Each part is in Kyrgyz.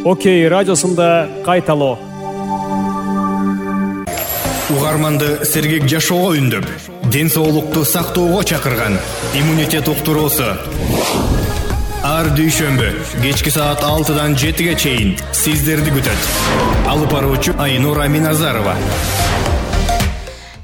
Окей радиосунда кайталоо. Угарманды сергек жашоого үндөп, ден соолукту сактоого чакырган иммунитет уктуруусу. Ар дүйшөмбү кечки саат 6-дан 7-ге чейин сиздерди күтөт. Алып баруучу Айнура Миназарова.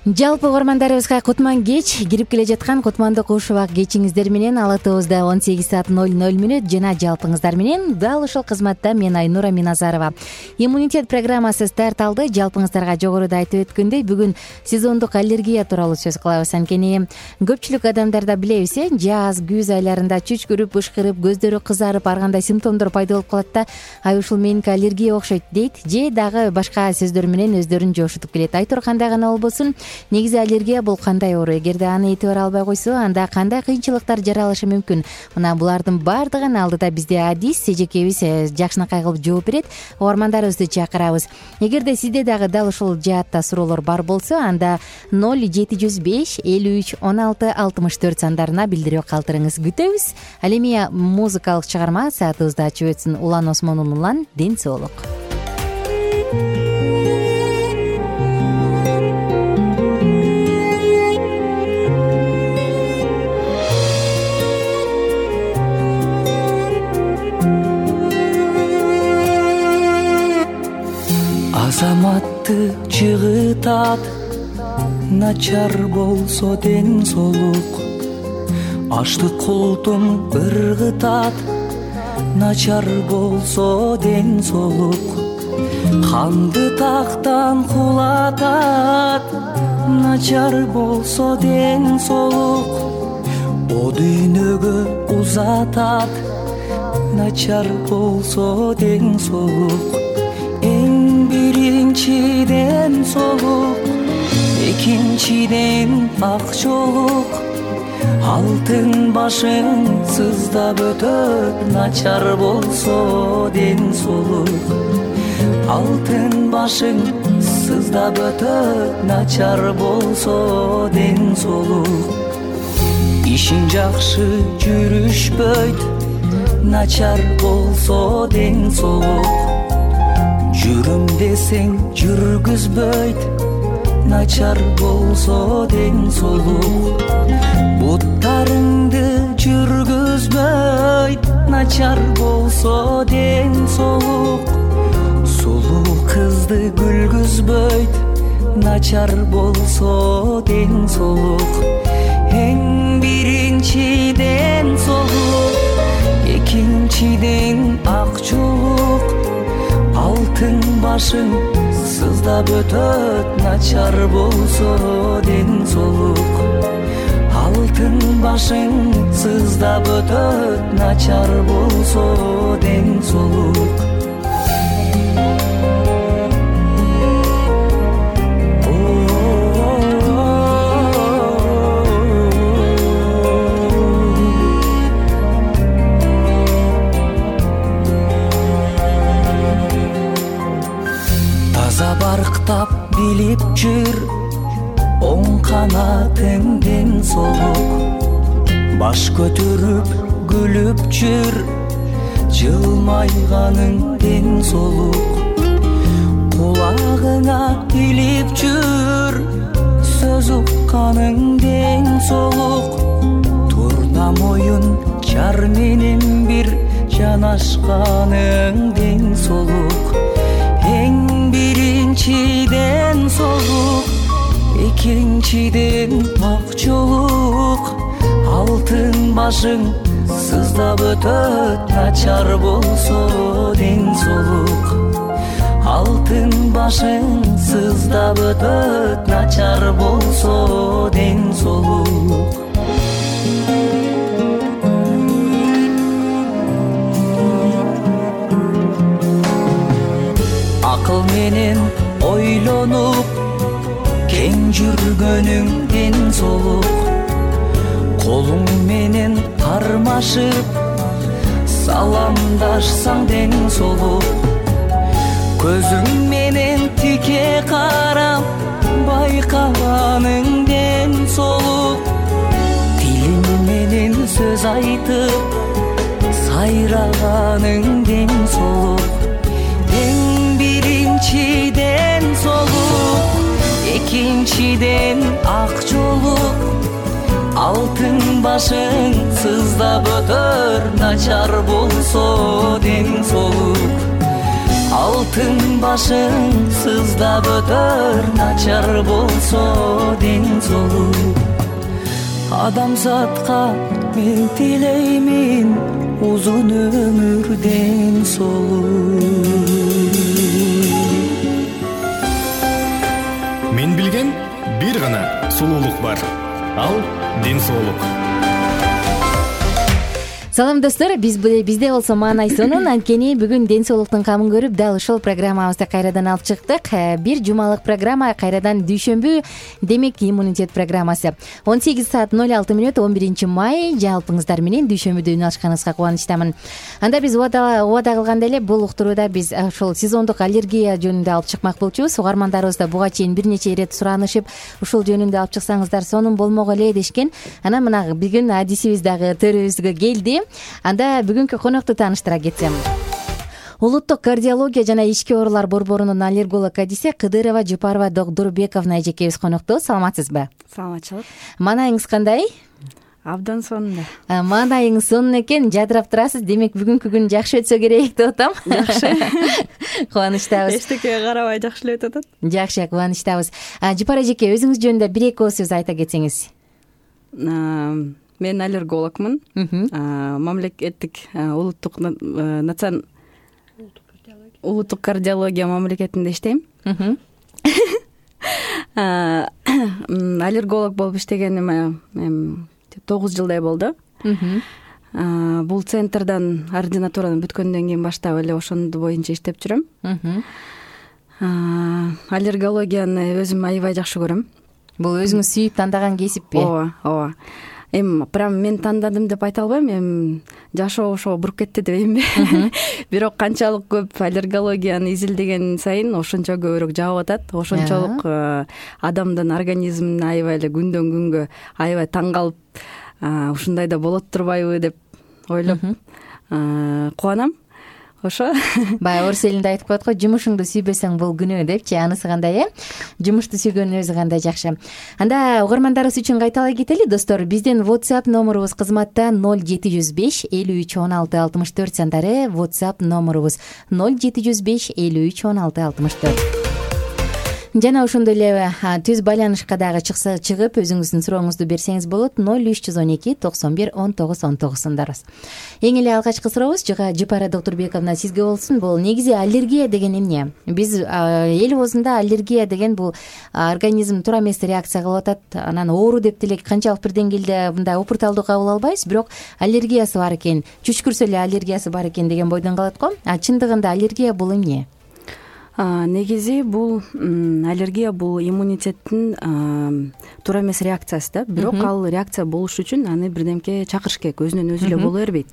Жалпы угармандарыбызга кутман кеч, кирип келе жаткан кутмандык ушубак кечиңиздер менен Ала ТВ'да 18:00 жана жалпыңыздар менен дал ушул кызматта мен Айнура Миназарова. Иммунитет программасы старт алды. Жалпыңыздарга жогоруда айтып өткөндөй, бүгүн сезондук аллергия тууралуу сөз кылабыз. Анткени көпчүлүк адамдарда билебиз, жаз, күз айларында чүчкүрүп, ышкырып, көздөрү кызарып, ар кандай симптомдор пайда болуп калат да, ай ушул меники аллергия окшойт дейт, же дагы башка сөздөр менен өздөрүн жошутуп келет. Айтор кандай гана болбосун, негизи аллергия бул кандай оору? Эгерде аны этибар албай койсо, анда кандай кыйынчылыктар жаралышы мүмкүн? Мына булардын баардыгын алдыда бизде Адис эжекебиз жакшынакай кылып жооп берет. Угармандарыбызды чакырабыз. Эгерде сизде дагы дал ушул жаатта суроолор бар болсо, анда 0705 53 16 64 сандарына билдирүү калтырыңыз. Күтөбүз. Ал эми музыкалык чыгарма саатыбызды ачып өтсүн. Улан Осмонулан ден соолук. Азаматты жыгытат, начар болсо ден соолук. Аштык култун ыргытат, начар болсо ден соолук. Канды тактан кулатат, начар болсо ден соолук. О дүйнөгө узатат, начар болсо ден соолук. Биринчиден соолук, экинчиден акчолук. Алтын башың сыздап өтөт, начар болсо ден соолук. Алтын башың сыздап өтөт, начар болсо ден соолук. Ишиң жакшы жүрүшпөйт, начар болсо ден соолук. Жүрүм десең жүргүзбөйт, начар болсо ден соолук. Буттарыңды жүргүзбөйт, начар болсо ден соолук. Сулуу кызды күлгүзбөйт, начар болсо ден соолук. Эң биринчиден соолук, экинчиден акчолук. Алтын башың сыздап өтөт, начар болсо ден соолук. Алтын башың сыздап өтөт, начар болсо ден соолук. Барктап билип жүр, оң канатың ден соолук. Баш көтөрүп күлүп жүр, жылмайганың ден соолук. Кулагыңа илип жүр, сөз укканың ден соолук. Турна моюн жар менен бир жанашканың ден соолук. Эң биринчиден соолук, экинчиден акчолук. Алтын башың сыздап өтөт, начар болсо ден соолук. Алтын башың сыздап өтөт, начар болсо ден соолук. Акыл менен ойлонуп, кең жүргөнүң ден соолук. Колуң менен кармашып, саламдашсаң ден соолук. Көзүң менен тике карап, байкаганың ден соолук. Тилиң менен сөз айтып, сайраганың ден соолук. башың сыздап өтөр, начар болсо ден соолук. Алтын башың сыздап өтөр, начар болсо ден соолук. Адамзатка мен тилеймин узун өмүр, ден соолук. Мен билген бир гана сулуулук бар. Ал ден соолук. Салам достор, бизде болсо маанай сонун. Анткени бүгүн ден соолуктун камын көрүп дал ушул программабызды кайрадан алып чыктык. Бир жумалык программа, кайрадан дүйшөмбү, демек иммунитет программасы. 18 саат 06 мүнөт 11 май жалпыңыздар менен дүйшөмбүдө үн алышканыңызга кубанычтамын. Анда биз убада кылгандай эле бул уктурууда биз ошол сезондук аллергия жөнүндө алып чыкмак болчубуз. Угармандарыбыз да буга чейин бир нече ирет суранышып, ушул жөнүндө алып чыксаңыздар сонун болмок эле дешкен. Анан мына бүгүн адисибиз дагы төрүбүзгө келди. Анда бүгүнкү конокту тааныштыра кетсем. Улуттук кардиология жана ички оорулар борборунун аллерголог адиси Кыдырова Жупарова Докдурбековна эжекебиз конокто. Саламатсызбы? Саламатчылык. Маанайыңыз кандай? Абдан сонун. Маанайыңыз сонун экен, жадырап турасыз. Демек бүгүнкү күн жакшы өтсө керек деп атам. Жакшы. Кубанычтабыз. Эчтекеге карабай жакшы эле өтүп атат. Жакшы, кубанычтабыз. Жупара эжеке, өзүңүз жөнүндө бир эки сөз айта кетсеңиз. Мен аллергологмун. Мамлекеттик улуттук кардиология мамлекетинде иштейм. Аллерголог болуп иштегениме 9 жылдай болду. Бул центрдан ординатураны бүткөндөн кийин баштап эле ошондо боюнча иштеп жүрөм. Аллергологияны өзүм аябай жакшы көрөм. Бул өзүңүз сүйүп тандаган кесиппи? Ооба. Прям мен тандадым деп айта албайм. Жашоо ошого буруп кетти дебеймби? Бирок канчалык көп аллергологияны изилдеген сайын ошончо көбүрөөк жагып атат. Ошончолук адамдын организмине аябай эле күндөн күнгө аябай таң калып, ушундай да болот турбайбы деп ойлоп кубанам. Ошо. Баягы орус элинде айтып коет го, жумушуңду сүйбөсөң бул күнөө депчи. Анысы кандай, Жумушту сүйгөндүн өзү кандай жакшы. Анда угармандарыбыз үчүн кайталай кетели, достор. Биздин WhatsApp номурубуз кызматта 0705 53 16 64 сандары. WhatsApp номурубуз 0705 53 16 64. Жана ошондой эле түз байланышка дагы чыгып өзүңүздүн сурооңузду берсеңиз болот. 0312 91 19 19 Эң эле алгачкы сурообуз Жупара Докдурбековна сизге болсун. Бул негизи аллергия деген эмне? Биз эл оозунда аллергия деген бул организм туура эмес реакция кылып атат. Анан оору деп деле канчалык бир деңгээлде мындай упурталдуу кабыл албайбыз, бирок аллергиясы бар экен, чүчкүрсө эле аллергиясы бар экен деген бойдон калат го. Чындыгында аллергия бул эмне? Негизи бул аллергия бул иммунитеттин туура эмес реакциясы да. Бирок ал реакция болуш үчүн аны бирдемке чакырыш керек, өзүнөн өзү эле боло бербейт.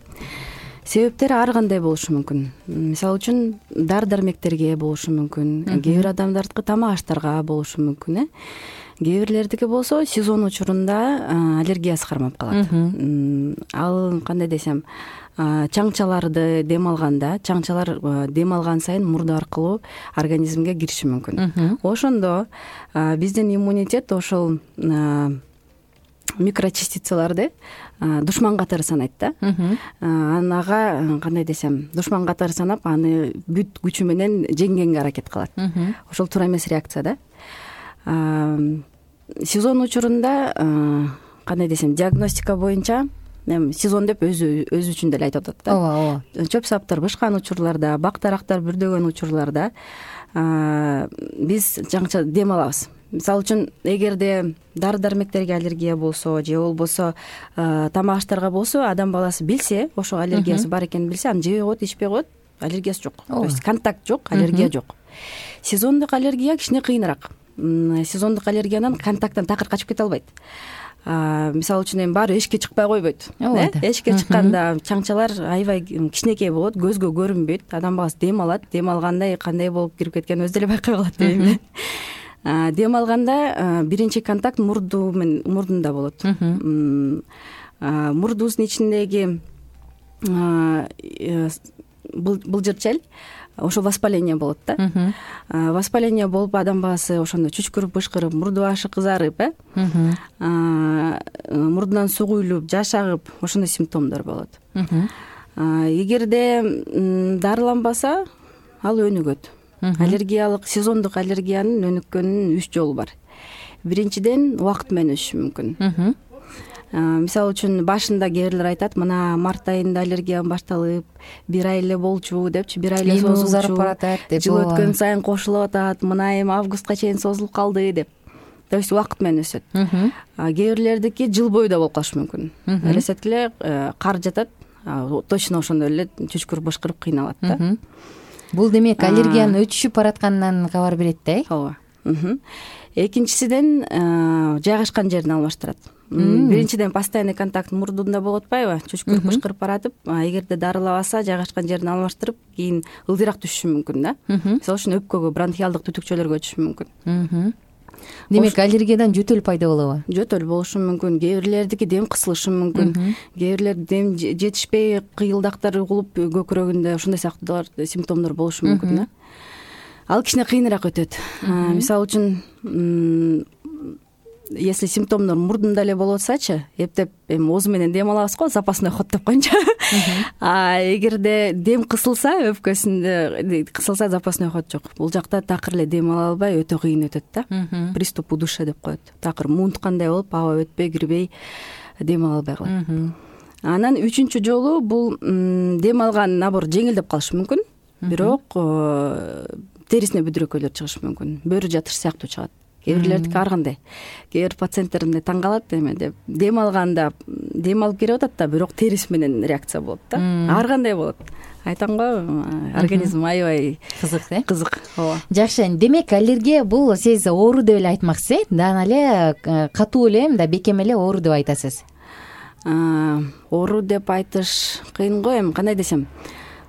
Себептери ар кандай болушу мүмкүн. Мисалы үчүн дары-дармектерге болушу мүмкүн, кээ бир адамдардыкы тамак аштарга болушу мүмкүн. Кээ бирлердики болсо сезон учурунда аллергиясы кармап калат. Ал кандай десем, чаңчаларды дем алганда, чаңчалар дем алган сайын мурду аркылуу организмге кириши мүмкүн. Ошондо биздин иммунитет ошол микрочастицаларды душман катары санайт да. Ага кандай десем, душман катары санап, аны бүт күчү менен жеңгенге аракет кылат. Ошол туура эмес реакция да. Сезон учурунда кандай десем, диагностика боюнча сезон деп өзү үчүн деле айтып атат да. Ооба. Чөп саптар бышкан учурларда, бак-дарактар бүрдөгөн учурларда биз жаңча дем алабыз. Мисалы үчүн, эгерде дары-дармектерге аллергия болсо же болбосо тамак аштарга болсо, адам баласы билсе, ошо аллергиясы бар экенин билсе, аны жебей коет, ичпей коет, аллергиясы жок. То есть контакт жок, аллергия жок. Сезондук аллергия кичине кыйыныраак. Сезондук аллергиянан контакттан такыр качып кете албайт. Мисалы үчүн эми баары эшикке чыкпай койбойт. Эшикке чыкканда чаңчалар аябай кичинекей болот, көзгө көрүнбөйт. Адам баласы дем алат, дем алганда кандай болуп кирип кеткенин өзү деле байкай калат дейм. Дем алганда биринчи контакт мурдунда болот. Мурдубуздун ичиндеги былжырчел ошо воспаление болот да. Воспаление болуп адам баласы ошондо чүчкүрүп бышкырып, мурду башы кызарып, мурдунан суу куюлуп, жаш агып, ошондой симптомдор болот. Эгерде дарыланбаса, ал өнүгөт. Аллергиялык, сезондук аллергиянын өнүккөнүнүн 3 жолу бар. Биринчиден убакыт менен өсүшү мүмкүн. Мисалы үчүн башында кээ бирлер айтат, мына март айында аллергиям башталып, 1 ай эле болчу депчи, 1 ай эле созулчу, узарып баратат деп. Жыл өткөн сайын кошулуп атат, мына эми августка чейин созулуп калды деп. То есть убакыт менен өсөт. Кээ бирлердики жыл бою да болуп калышы мүмкүн. Элестеткиле, кар жатат, точно ошондой эле чүчкүрүп бышкырып кыйналат да. Бул демек аллергиянын өтүшүп баратканынан кабар берет да. Ооба. Экинчисиден жайгашкан жерин алмаштырат. Биринчиден постоянный контакт мурдунда болуп атпайбы? Чүчкүрүп бышкырып баратып, эгерде дарылабаса, жайгашкан жерин алмаштырып, кийин ылдыйраак түшүшү мүмкүн да. Мисалы үчүн өпкөгө, бронхиалдык түтүкчөлөргө өтүшү мүмкүн. Демек аллергиядан жөтөл пайда болобу? Жөтөл болушу мүмкүн. Кээ бирлердики дем кысылышы мүмкүн. Кээ бирлер дем жетишпей, кыйылдактар угулуп, көкүрөгүндө ошондой сыяктуу симптомдор болушу мүмкүн да. Ал кичине кыйыныраак өтөт. Мисалы үчүн, если симптомдор мурдунда эле болуп атсачы, эптеп эми оозу менен дем алабыз го, запасной ход деп коеюнчу. Эгерде дем кысылса, өпкөсүндө кысылса, запасной ход жок. Бул жакта такыр эле дем ала албай, өтө кыйын өтөт да. Приступ удушья деп коет. Такыр муунткандай болуп, аба өтпөй, кирбей, дем ала албай калат. Анан 3-чү жолу бул дем алган набор жеңилдеп калышы мүмкүн, бирок терисине бүдүрөкөйлөр чыгышы мүмкүн. Бөрү жатыш сыяктуу чыгат. Кээ бирлердики ар кандай. Кээ бир пациенттерим таң калат эме деп. Дем алганда дем алып келип атат да, бирок терис менен реакция болот да. Ар кандай болот. Айтам го, организм аябай кызык, кызык. Ооба. Жакшы. Демек аллергия бул сиз оору деп эле айтмакчысыз, даана эле катуу эле, мындай бекем эле оору деп айтасыз. Оору деп айтыш кыйын го, эми кандай десем.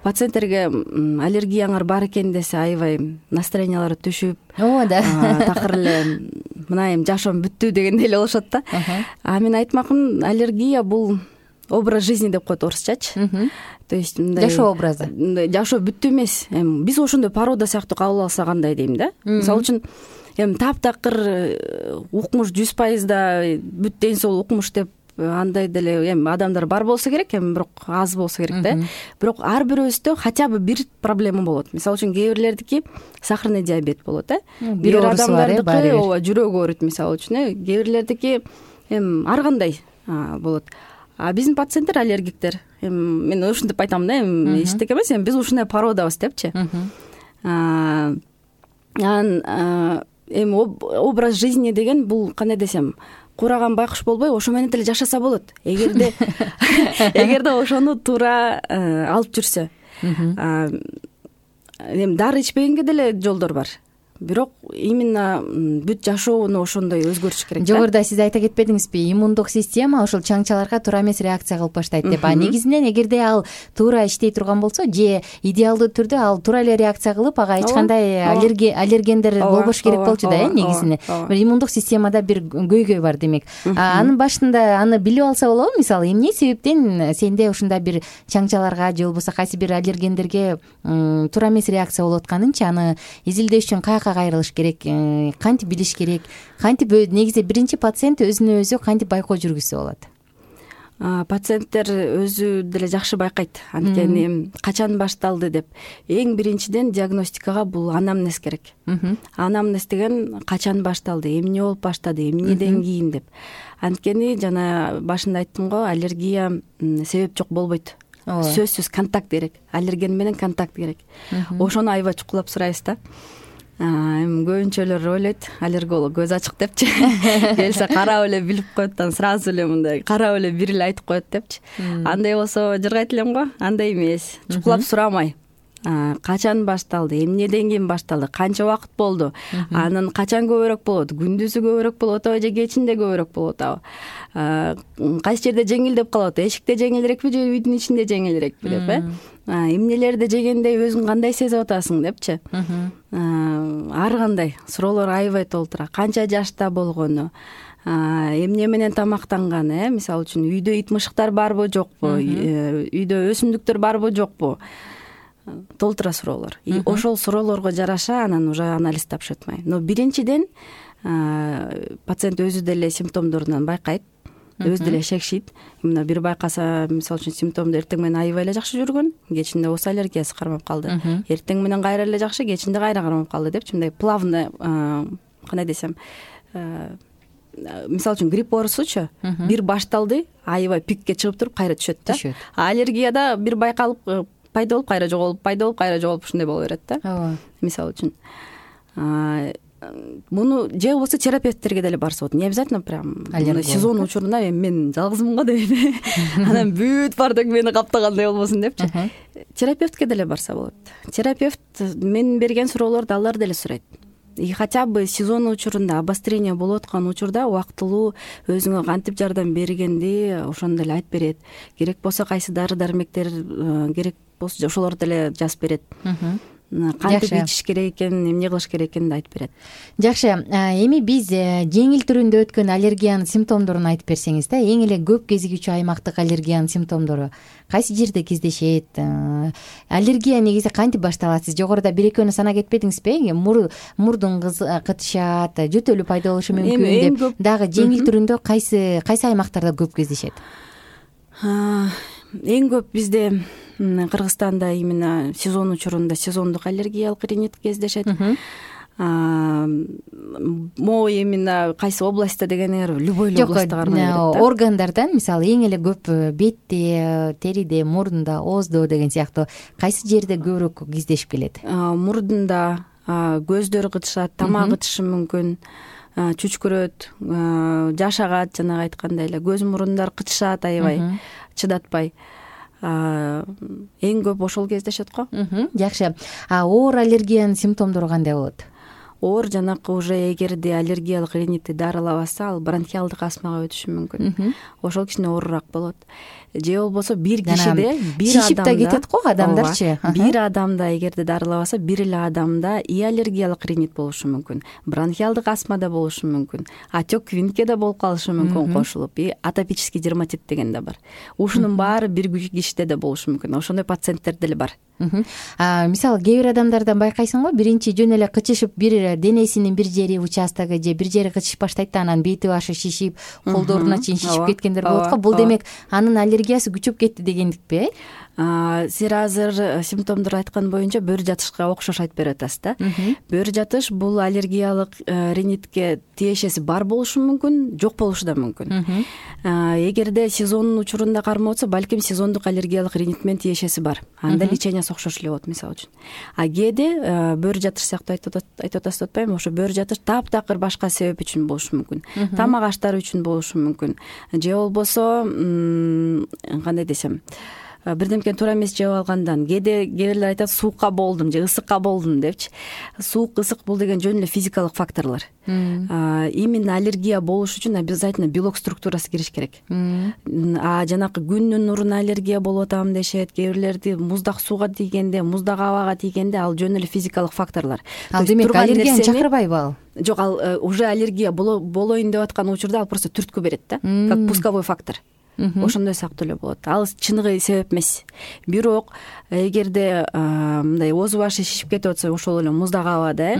Пациенттерге аллергияңар бар экен десе, аябай настроениялары түшүп, ооба да. Такыр эле мына эми жашоом бүттү дегендей эле болушат да. Мен айтмакмын, аллергия бул образ жизни деп коет орусчачы. То есть мындай жашоо образы. Жашоо бүттү эмес. Эми биз ошондой порода сыяктуу кабыл алса кандай дейм да. Мисалы үчүн эми таптакыр укмуш 100% бүт ден соолук укмуш деп андай деле эми адамдар бар болсо керек, эми бирок аз болсо керек да. Бирок ар бирөөбүздө хотя бы бир проблема болот. Мисалы үчүн кээ бирлердики сахарный диабет болот, бир адамдардыкы ооба жүрөгү ооруйт мисалы үчүн, кээ бирлердики эми ар кандай болот. Биздин пациенттер аллергиктер. Эми мен ушинтип айтам да, эми эчтеке эмес, эми биз ушундай породабыз депчи. Анан эми образ жизни деген бул кандай десем, кураган байкуш болбой, ошо менен деле жашаса болот. Эгерде ошону туура алып жүрсө. Эми дары ичпегенге деле жолдор бар. Бирок именно бүт жашоону ошондой өзгөртүш керек да. Жогоруда сиз айта кетпедиңизби, иммундук система ошол чаңчаларга туура эмес реакция кылып баштайт деп. Негизинен эгерде ал туура иштей турган болсо, же идеалдуу түрдө ал туура эле реакция кылып, ага эч кандай аллергендер болбош керек болчу да, негизинен. Бир иммундук системада бир көйгөй бар демек. Анын башында аны билип алса болобу? Мисалы, эмне себептен сенде ушундай бир чаңчаларга же болбосо кайсы бир аллергендерге туура эмес реакция болуп атканынчы аны изилдеш үчүн кайрылыш керек, кантип билиш керек, кантип негизи биринчи пациент өзүнө өзү кантип байкоо жүргүзсө болот? Пациенттер өзү деле жакшы байкайт, анткени качан башталды деп. Эң биринчиден диагностикага бул анамнез керек. Анамнез деген качан башталды, эмне болуп баштады, эмнеден кийин деп. Анткени жана башында айттым го, аллергия себеп жок болбойт. Сөзсүз контакт керек, аллерген менен контакт керек. Ошону аябай чукулап сурайбыз да. Эми көбүнчөлөр ойлойт, аллерголог көз ачык депчи. Келсе карап эле билип коет, сразу эле мындай карап эле бир эле айтып коет депчи. Андай болсо жыргайт элем го, андай эмес. Чукулап сурамай. Качан башталды, эмнеден кийин башталды, канча убакыт болду, анан качан көбүрөөк болот, күндүзү көбүрөөк болуп атабы же кечинде көбүрөөк болуп атабы, кайсы жерде жеңилдеп калат, эшикте жеңилирекпи же үйдүн ичинде жеңилирекпи деп, эмнелерди жегенде өзүң кандай сезип атасың депчи. Ар кандай суроолор аябай толтура, канча жашта болгону, эмне менен тамактанган, мисалы үчүн үйдө ит мышыктар барбы жокпу, үйдө өсүмдүктөр барбы жокпу, толтура суроолор. И ошол суроолорго жараша анан уже анализ тапшырат. Но биринчиден пациент өзү деле симптомдорунан байкайт, өзү деле шекшийт. Именно бир байкаса, мисалы үчүн симптомду эртең менен аябай эле жакшы жүргөн, кечинде ооз аллергиясы кармап калды. Эртең менен кайра эле жакшы, кечинде кайра кармап калды депчи, мындай плавно, кандай десем, мисалы үчүн грипп оорусучу бир башталды, аябай пикке чыгып туруп кайра түшөт да. Аллергияда бир байкалып пайда болуп кайра жоголуп, пайда болуп кайра жоголуп ушундай боло берет да. Ооба. Мисалы үчүн муну же болбосо терапевттерге деле барса болот. Не обязательно прям сезон учурунда мен жалгызмын го деп анан бүт баардык мени каптагандай болбосун депчи. Терапевтке деле барса болот. Терапевт мен берген суроолорду алар деле сурайт. И хотя бы сезон учурунда обострение болуп аткан учурда убактылуу өзүңө кантип жардам бергенди ошону деле айтып берет. Керек болсо кайсы дары дармектер керек болсо ошолорду деле жазып берет. Кантип ичиш керек экенин, эмне кылыш керек экенин айтып берет. Жакшы. Эми биз жеңил түрүндө өткөн аллергиянын симптомдорун айтып берсеңиз да, эң эле көп кезигүүчү аймактык аллергиянын симптомдору кайсы жерде кездешет? Аллергия негизи кантип башталат? Сиз жогоруда бир экөөнү санап кетпедиңизби? Мурдун кытышат, жөтөлү пайда болушу мүмкүн деп. Дагы жеңил түрүндө кайсы аймактарда көп кездешет? Эң көп бизде Кыргызстанда именно сезон учурунда сезондук аллергиялык ринит кездешет. Могу именно кайсы областта дегениңер любой областта кармай берет да. Органдардан мисалы эң эле көп бетте, териде, мурдунда, ооздо деген сыяктуу кайсы жерде көбүрөөк кездешип келет? Мурдунда көздөр кытышат, тамак кытышы мүмкүн, чүчкүрөт, жаш агат, жанагы айткандай эле көз мурундар кытышат аябай, чыдатпай. Эң көп ошол кездешет го. Жакшы. Оор аллергиянын симптомдору кандай болот? Оор жанакы уже эгерде аллергиялык ринитти дарылабаса, ал бронхиалдык астмага өтүшү мүмкүн. Ошол кичине оорураак болот. Же болбосо бир кишиде, бир адамда шишип да кетет го адамдарчы. Бир адамда эгерде дарылабаса, бир эле адамда и аллергиялык ринит болушу мүмкүн, бронхиалдык астма да болушу мүмкүн, отек винтке да болуп калышы мүмкүн кошулуп, и атопический дерматит деген да бар. Ушунун баары бир кишиде да болушу мүмкүн. Ошондой пациенттер деле бар. Мисалы кээ бир адамдардан байкайсың го, биринчи жөн эле кычышып, бир денесинин бир жери участогу же бир жери кычышып баштайт да, анан бети башы шишип, колдоруна чейин шишип кеткендер болот го. Бул демек анын аллергиясы күчөп кетти дегендикпи? Сиз азыр симптомдорду айткан боюнча бөр жатышка окшош айтып берип атасыз да. Бөр жатыш бул аллергиялык ринитке тиешеси бар болушу мүмкүн, жок болушу да мүмкүн. Эгерде сезонун учурунда кармап атса, балким сезондук аллергиялык ринит менен тиешеси бар. Анда лечениясы окшош эле болот, мисалы үчүн. Кээде бөр жатыш сыяктуу айтып атасыз деп атпаймынбы? Ошо бөр жатыш таптакыр башка себеп үчүн болушу мүмкүн. Тамак аштары үчүн болушу мүмкүн. Же болбосо кандай десем, бирдемкени туура эмес жеп алгандан, кээ бирлер айтат суукка болдум же ысыкка болдум депчи. Суук, ысык бул деген жөн эле физикалык факторлор. Именно аллергия болуш үчүн обязательно белок структурасы кириш керек. Жанакы күндүн нуруна аллергия болуп атам дешет, кээ бирлерди муздак сууга тийгенде, муздак абага тийгенде ал жөн эле физикалык факторлор. Ал демек аллергияны чакырбайбы ал? Жок, ал уже аллергия болоюн деп аткан учурда ал просто түрткү берет да, как пусковой фактор. Ошондой сыяктуу эле болот. Ал чыныгы себеп эмес. Бирок эгерде мындай ооз башы шишип кетип атса, ошол эле муздак абада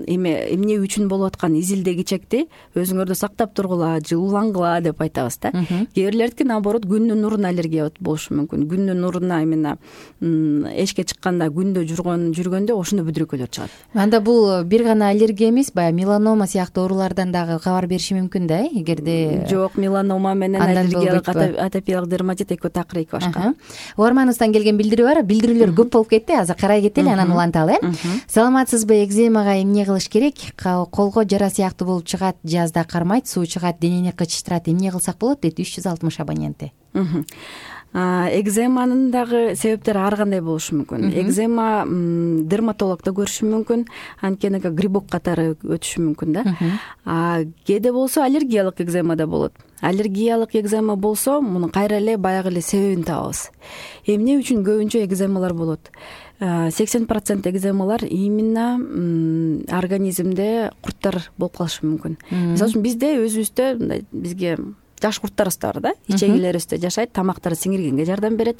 эмне үчүн болуп аткан изилде кичекти өзүңөрдү сактап тургула, жылуулангыла деп айтабыз да. Кээ бирлердики наоборот күндүн нуруна аллергия болушу мүмкүн. Күндүн нуруна именно эшикке чыкканда, күндө жүргөндө ошондой бүдүрөкөлөр чыгат. Анда бул бир гана аллергия эмес, баягы меланома сыяктуу оорулардан дагы кабар бериши мүмкүн да, эгерде. Жок, меланома менен атопиялык дерматит экөө такыр эки башка. Угарманыбыздан келген билдирүү бар. Билдирүүлөр көп болуп кетти. Азыр карай кетели, анан уланталы. Саламатсызбы? Экземага эмне кылыш керек? Колго жара сыяктуу болуп чыгат, жазда кармайт, суу чыгат, денени кычыштырат. Эмне кылсак болот дейт 360 абоненти. Экземанын дагы себептери ар кандай болушу мүмкүн. Экзема дерматологдо көрүшү мүмкүн, анткени грибок катары өтүшү мүмкүн да. Кээде болсо аллергиялык экзема да болот. Аллергиялык экзема болсо, муну кайра эле баягы эле себебин табабыз. Эмне үчүн көбүнчө экземалар болот? 80% экземалар именно организмде курттар болуп калышы мүмкүн. Мисалы үчүн бизде өзүбүздө бизге жаш курттарыбыз да бар да, ичегилерибизде жашайт, тамактарды сиңиргенге жардам берет,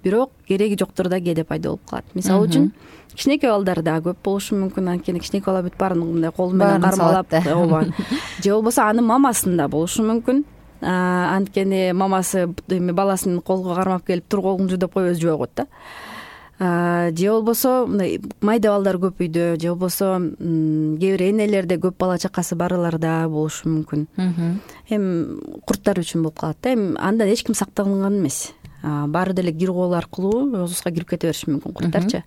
бирок кереги жоктурда кээде пайда болуп калат. Мисалы үчүн кичинекей балдар да көп болушу мүмкүн, анткени кичинекей бала бүт баарын мындай кол менен кармалап, ооба, же болбосо анын мамасында болушу мүмкүн. Анткени мамасы баласын колго кармап келип тур колуңду жуу деп коюп өзү жуа койт да. Же болбосо мындай майда балдар көп үйдө, же болбосо кээ бир энелерде көп бала чакасы барларда болушу мүмкүн. Эми курттар үчүн болуп калат да. Эми андан эч ким сакталынган эмес. Баары деле кир кол аркылуу оозубузга кирип кете бериши мүмкүн курттарчы.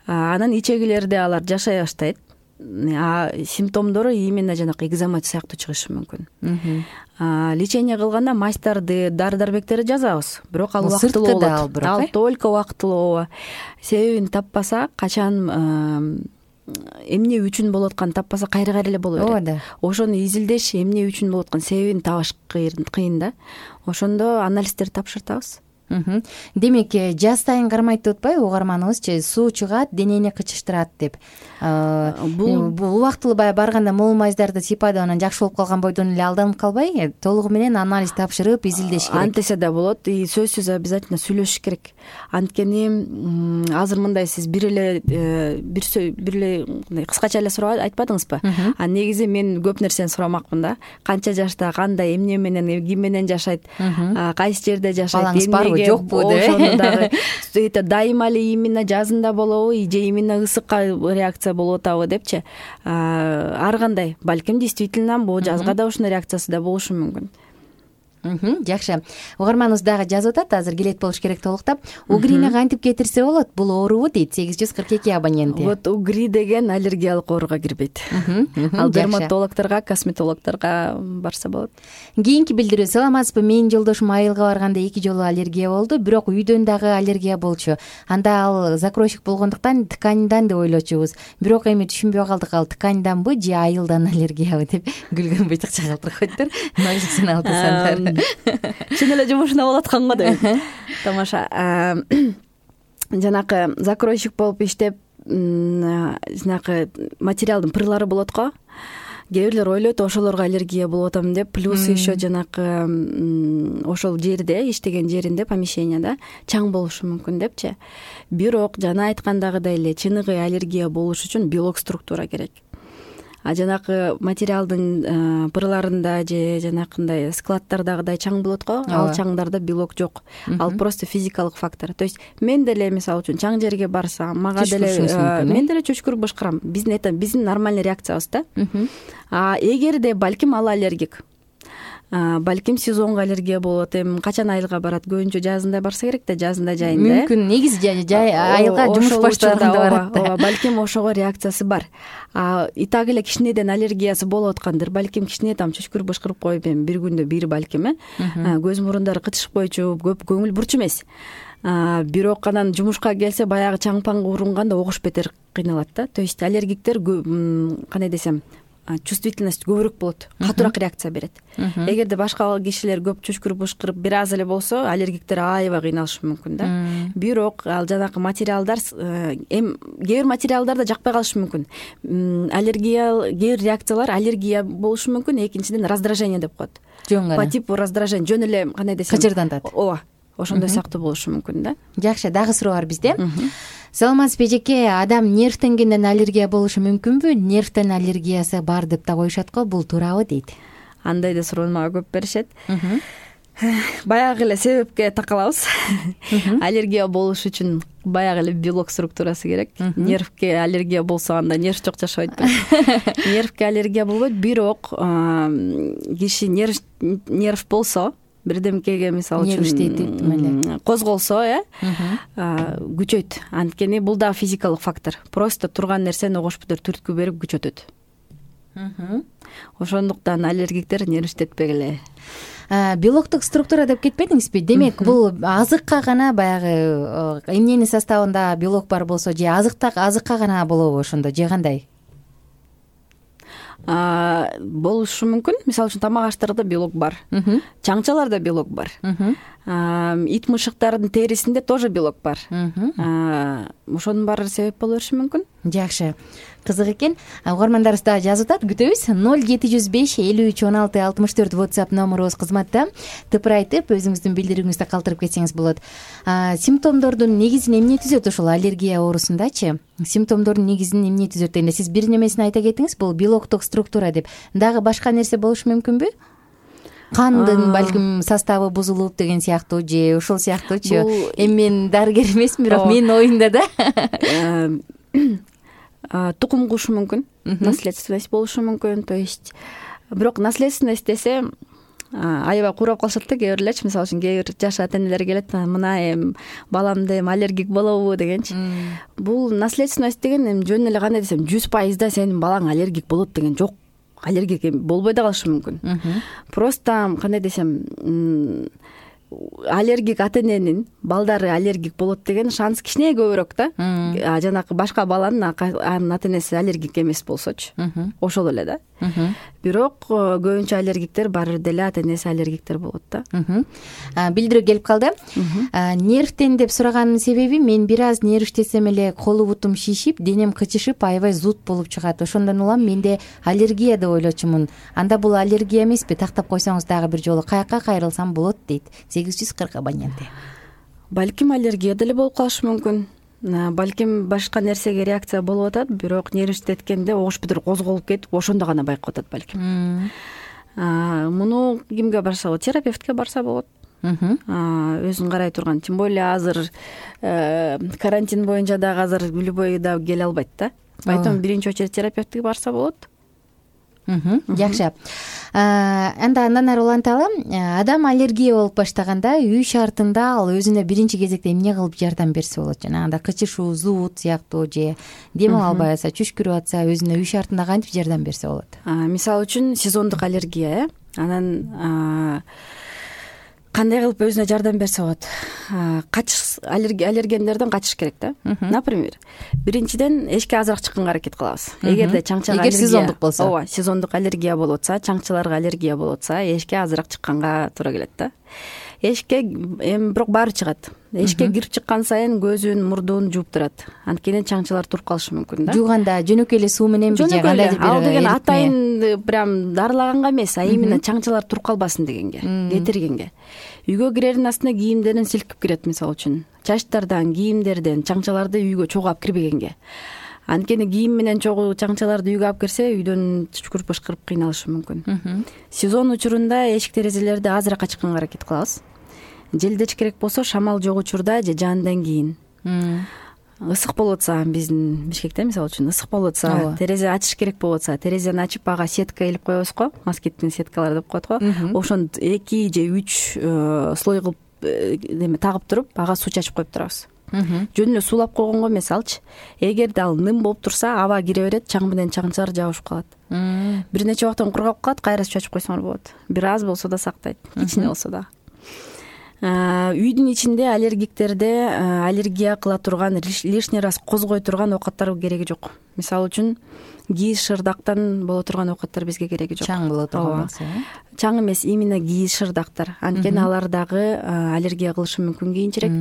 Анан ичегилерде алар жашай баштайт. Симптомдору именно жанакы экзема сыяктуу чыгышы мүмкүн. Лечение кылганда мазьдарды, дары-дармектерди жазабыз, бирок ал убактылуу болот. Ал только убактылуу. Себебин таппаса, качан эмне үчүн болуп атканын таппаса кайра эле боло берет. Ошону изилдеш, эмне үчүн болуп аткан себебин табыш кыйын да. Ошондо анализдерди тапшыртабыз. Демек, жаз сайын кармайт деп атпайбы угарманыбызчы, суу чыгат, денени кычыштырат деп. Бул убактылуу баягы барганда мол мазьдарды сыйпады, анан жакшы болуп калган бойдон эле алданып калбай, толугу менен анализ тапшырып, изилдеш керек. Антесе да болот, сөзсүз обязательно сүйлөшүш керек. Анткени азыр мындай сиз бир эле кыскача эле суроо айтпадыңызбы? Негизи мен көп нерсени сурамакмын да. Канча жашта, кандай, эмне менен, ким менен жашайт, кайсы жерде жашайт, жокпу деп. Ошону дагы дайыма эле именно жазында болобу, же именно ысыкка реакция болуп атабы депчи. Ар кандай, балким действительно бул жазга да ушундай реакциясы да болушу мүмкүн. Жакшы. Угарманыбыз дагы жазып атат, азыр келет болуш керек толуктап. Угрини кантип кетирсе болот? Бул оорубу дейт 842 абоненти. Вот угри деген аллергиялык ооруга кирбейт. Ал дерматологдорго, косметологдорго барса болот. Кийинки билдирүү: саламатсызбы? Менин жолдошум айылга барганда 2 жолу аллергия болду, бирок үйдөн дагы аллергия болчу. Анда ал закройщик болгондуктан тканьдан деп ойлочубуз. Бирок эми түшүнбөй калдык, ал тканьданбы же айылдан аллергиябы деп күлгөн быйтыкча калтырып койдур. Нойлуксун алтысандар. Чын эле жумушуна болуп аткан го деп. Тамаша. Жанакы закройщик болуп иштеп, жанакы материалдын пырлары болот го. Кээ бирлер ойлойт ошолорго аллергия болуп атам деп, плюс еще жанакы ошол жерде, иштеген жеринде, помещенияда чаң болушу мүмкүн депчи. Бирок жана айткандагыдай эле чыныгы аллергия болуш үчүн белок структура керек. Жанакы материалдын пырларында же жанакындай складдардагыдай чаң болот го, ал чаңдарда белок жок. Ал просто физикалык фактор. То есть мен деле мисалы үчүн чаң жерге барсам, мага деле мен деле чөчкүрүп бышкырам. Биздин нормальный реакциябыз да. Эгерде балким ал аллергик, балким сезонго аллергия болот, эми качан айылга барат, көбүнчө жазында барса керек да, жазында жайында. Мүмкүн негизи жай айылга жумуш баштаганда барат да. Балким ошого реакциясы бар. И так эле кичинеден аллергиясы болуп аткандыр. Балким кичине там чөчкүрүп бышкырып коюп, эми бир күндө бир балким көз мурундары кытышып койчу, көп көңүл бурчу эмес. Бирок анан жумушка келсе баягы чаң-паң урунганда огуш бетер кыйналат да. То есть аллергиктер кандай десем, чувствительность көбүрөөк болот, катуураак реакция берет. Эгерде башка кишилер көп чөчкүрүп бышкырып бир аз эле болсо, аллергиктер аябай кыйналышы мүмкүн да. Бирок ал жанакы материалдар, кээ бир материалдар да жакпай калышы мүмкүн. Аллергия, кээ бир реакциялар аллергия болушу мүмкүн, экинчиден раздражение деп коет. По типу раздражение, жөн эле кандай десем, кычырдантат. Ооба. Ошондой сыяктуу болушу мүмкүн да. Жакшы, дагы суроо бар бизде. Саламатсызбы эжеке, адам нервтенгенден аллергия болушу мүмкүнбү? Нервтен аллергиясы бар деп да коюшат го, бул туурабы дейт. Андай да суроону мага көп беришет. Баягы эле себепке такалабыз. Аллергия болуш үчүн баягы эле белок структурасы керек. Нервке аллергия болсо анда нерв жок жашабайт. Нервке аллергия болбойт, бирок киши нерв болсо, бирдемкеге мисалы үчүн козголсо, күчөйт. Анткени бул да физикалык фактор. Просто турган нерсени огош бүтөр түрткү берип күчөтөт. Ошондуктан аллергиктер нервиштетпегиле. Белоктук структура деп кетпедиңизби? Демек, бул азыкка гана баягы эмненин составында белок бар болсо, же азыкка гана болобу ошондо, же кандай? Болушу мүмкүн. Мисалы үчүн тамак аштарда белок бар, чаңчаларда белок бар. ит мышыктардын терисинде тоже белок бар. Ошонун баары себеп боло бериши мүмкүн. Жакшы, кызык экен. Угармандарыбыз дагы жазып атат, күтөбүз. 0705 56 64 WhatsApp номерубуз кызматта. Тыпыр айтып, өзүңүздүн билдирүүңүздү калтырып кетсеңиз болот. Симптомдордун негизин эмне түзөт ушул аллергия оорусундачы? Симптомдордун негизин эмне түзөт дегенде сиз бир немесин айта кетиңиз, бул белоктук структура деп. Дагы башка нерсе болушу мүмкүнбү? Кандын балким составы бузулуп деген сыяктуу же ушул сыяктуучу. Эми мен дарыгер эмесмин, бирок менин оюмда да. Тукум кушу мүмкүн, наследственность болушу мүмкүн. То есть бирок наследственность десе аябай куурап калышат да кээ бирлерчи. Мисалы үчүн кээ бир жаш ата энелер келет, мына эми баламда эми аллергик болобу дегенчи. Бул наследственность деген эми жөн эле кандай десем 100% сенин балаң аллергик болот деген жок. Аллергик болбой да калышы мүмкүн. Просто кандай десем, аллергик ата эненин балдары аллергик болот деген шанс кичине көбүрөөк да. Жанакы башка баланын анын ата энеси аллергик эмес болсочу. Ошол эле да. Бирок көбүнчө аллергиктер баары деле ата энеси аллергиктер болот да. Билдирүү келип калды. Нервтен деп сураганын себеби мен бир аз нерв иштесем эле колу бутум шишип, денем кычышып, аябай зуд болуп чыгат. Ошондон улам менде аллергия деп ойлочумун. Анда бул аллергия эмеспи? Тактап койсоңуз дагы бир жолу каяка кайрылсам болот дейт. 840 абоненти. Балким аллергия деле болуп калышы мүмкүн. Балким башка нерсеге реакция болуп атат, бирок нерв иштеткенде ош бүтүр козголуп кетип, ошондо гана байкап атат балким. Муну кимге барса болот? Терапевтке барса болот. Өзүн карай турган. Тем более азыр карантин боюнча дагы азыр любой да келе албайт да. Поэтому биринчи очередь терапевтке барса болот. Жакшы. Андан ары уланталы. Адам аллергия болуп баштаганда үй шартында ал өзүнө биринчи кезекте эмне кылып жардам берсе болот? Жанагындай кычышуу, зуут сыяктуу же дем ала албай атса, чүчкүрүп атса, өзүнө үй шартында кантип жардам берсе болот? Мисалы үчүн сезондук аллергия, анан кандай кылып өзүнө жардам берсе болот? Качыш аллергендерден качыш керек да. Например, биринчиден эшикке азыраак чыкканга аракет кылабыз. Эгерде чаңчага аллергия, сезондук болсо, ооба, сезондук аллергия болуп атса, чаңчыларга аллергия болуп атса, эшикке азыраак чыкканга туура келет да. Эшикке эми бирок баары чыгат. Эшикке кирип чыккан сайын көзүн, мурдун жууп турат. Анткени чаңчылар туруп калышы мүмкүн да. Жууганда жөнөкөй эле суу мененби же кандайдыр бир? Ал деген атайын прям дарылаганга эмес, именно чаңчылар туруп калбасын дегенге, кетиргенге. Үйгө кирердин астына кийимдерин силкип кирет, мисалы үчүн. Чачтардан, кийимдерден чаңчаларды үйгө чогуу алып кирбегенге. Анткени кийим менен чогуу чаңчаларды үйгө алып кирсе, үйдөн түшкүрүп бышкырып кыйналышы мүмкүн. Сезон учурунда эшик терезелерди азыраак ачканга аракет кылабыз. Желдеч керек болсо шамал жок учурда же жаандан кийин. Ысык болуп атса, биздин Бишкекте мисалы үчүн ысык болуп атса, терезе ачыш керек болуп атса, терезени ачып ага сетка илип коебуз го, москиттин сеткалары деп коет го. Ошону 2 же 3 слой кылып тагып туруп, ага суу чачып коюп турабыз. Жөн эле суулап койгонго эмес алчы. Эгерде ал ным болуп турса, аба кире берет, чаң менен чаңчылар жабышып калат. Бир нече убактан кургап калат, кайра суу чачып койсоңор болот. Бир аз болсо да сактайт, кичине болсо да. Үйдүн ичинде аллергиктерде аллергия кыла турган, лишний раз козгой турган оокаттар кереги жок. Мисалы үчүн кийиз шырдактан боло турган оокаттар бизге кереги жок. Чаң боло турган болсо, чаң эмес, именно кийиз шырдактар. Анткени алар дагы аллергия кылышы мүмкүн кийинчерээк.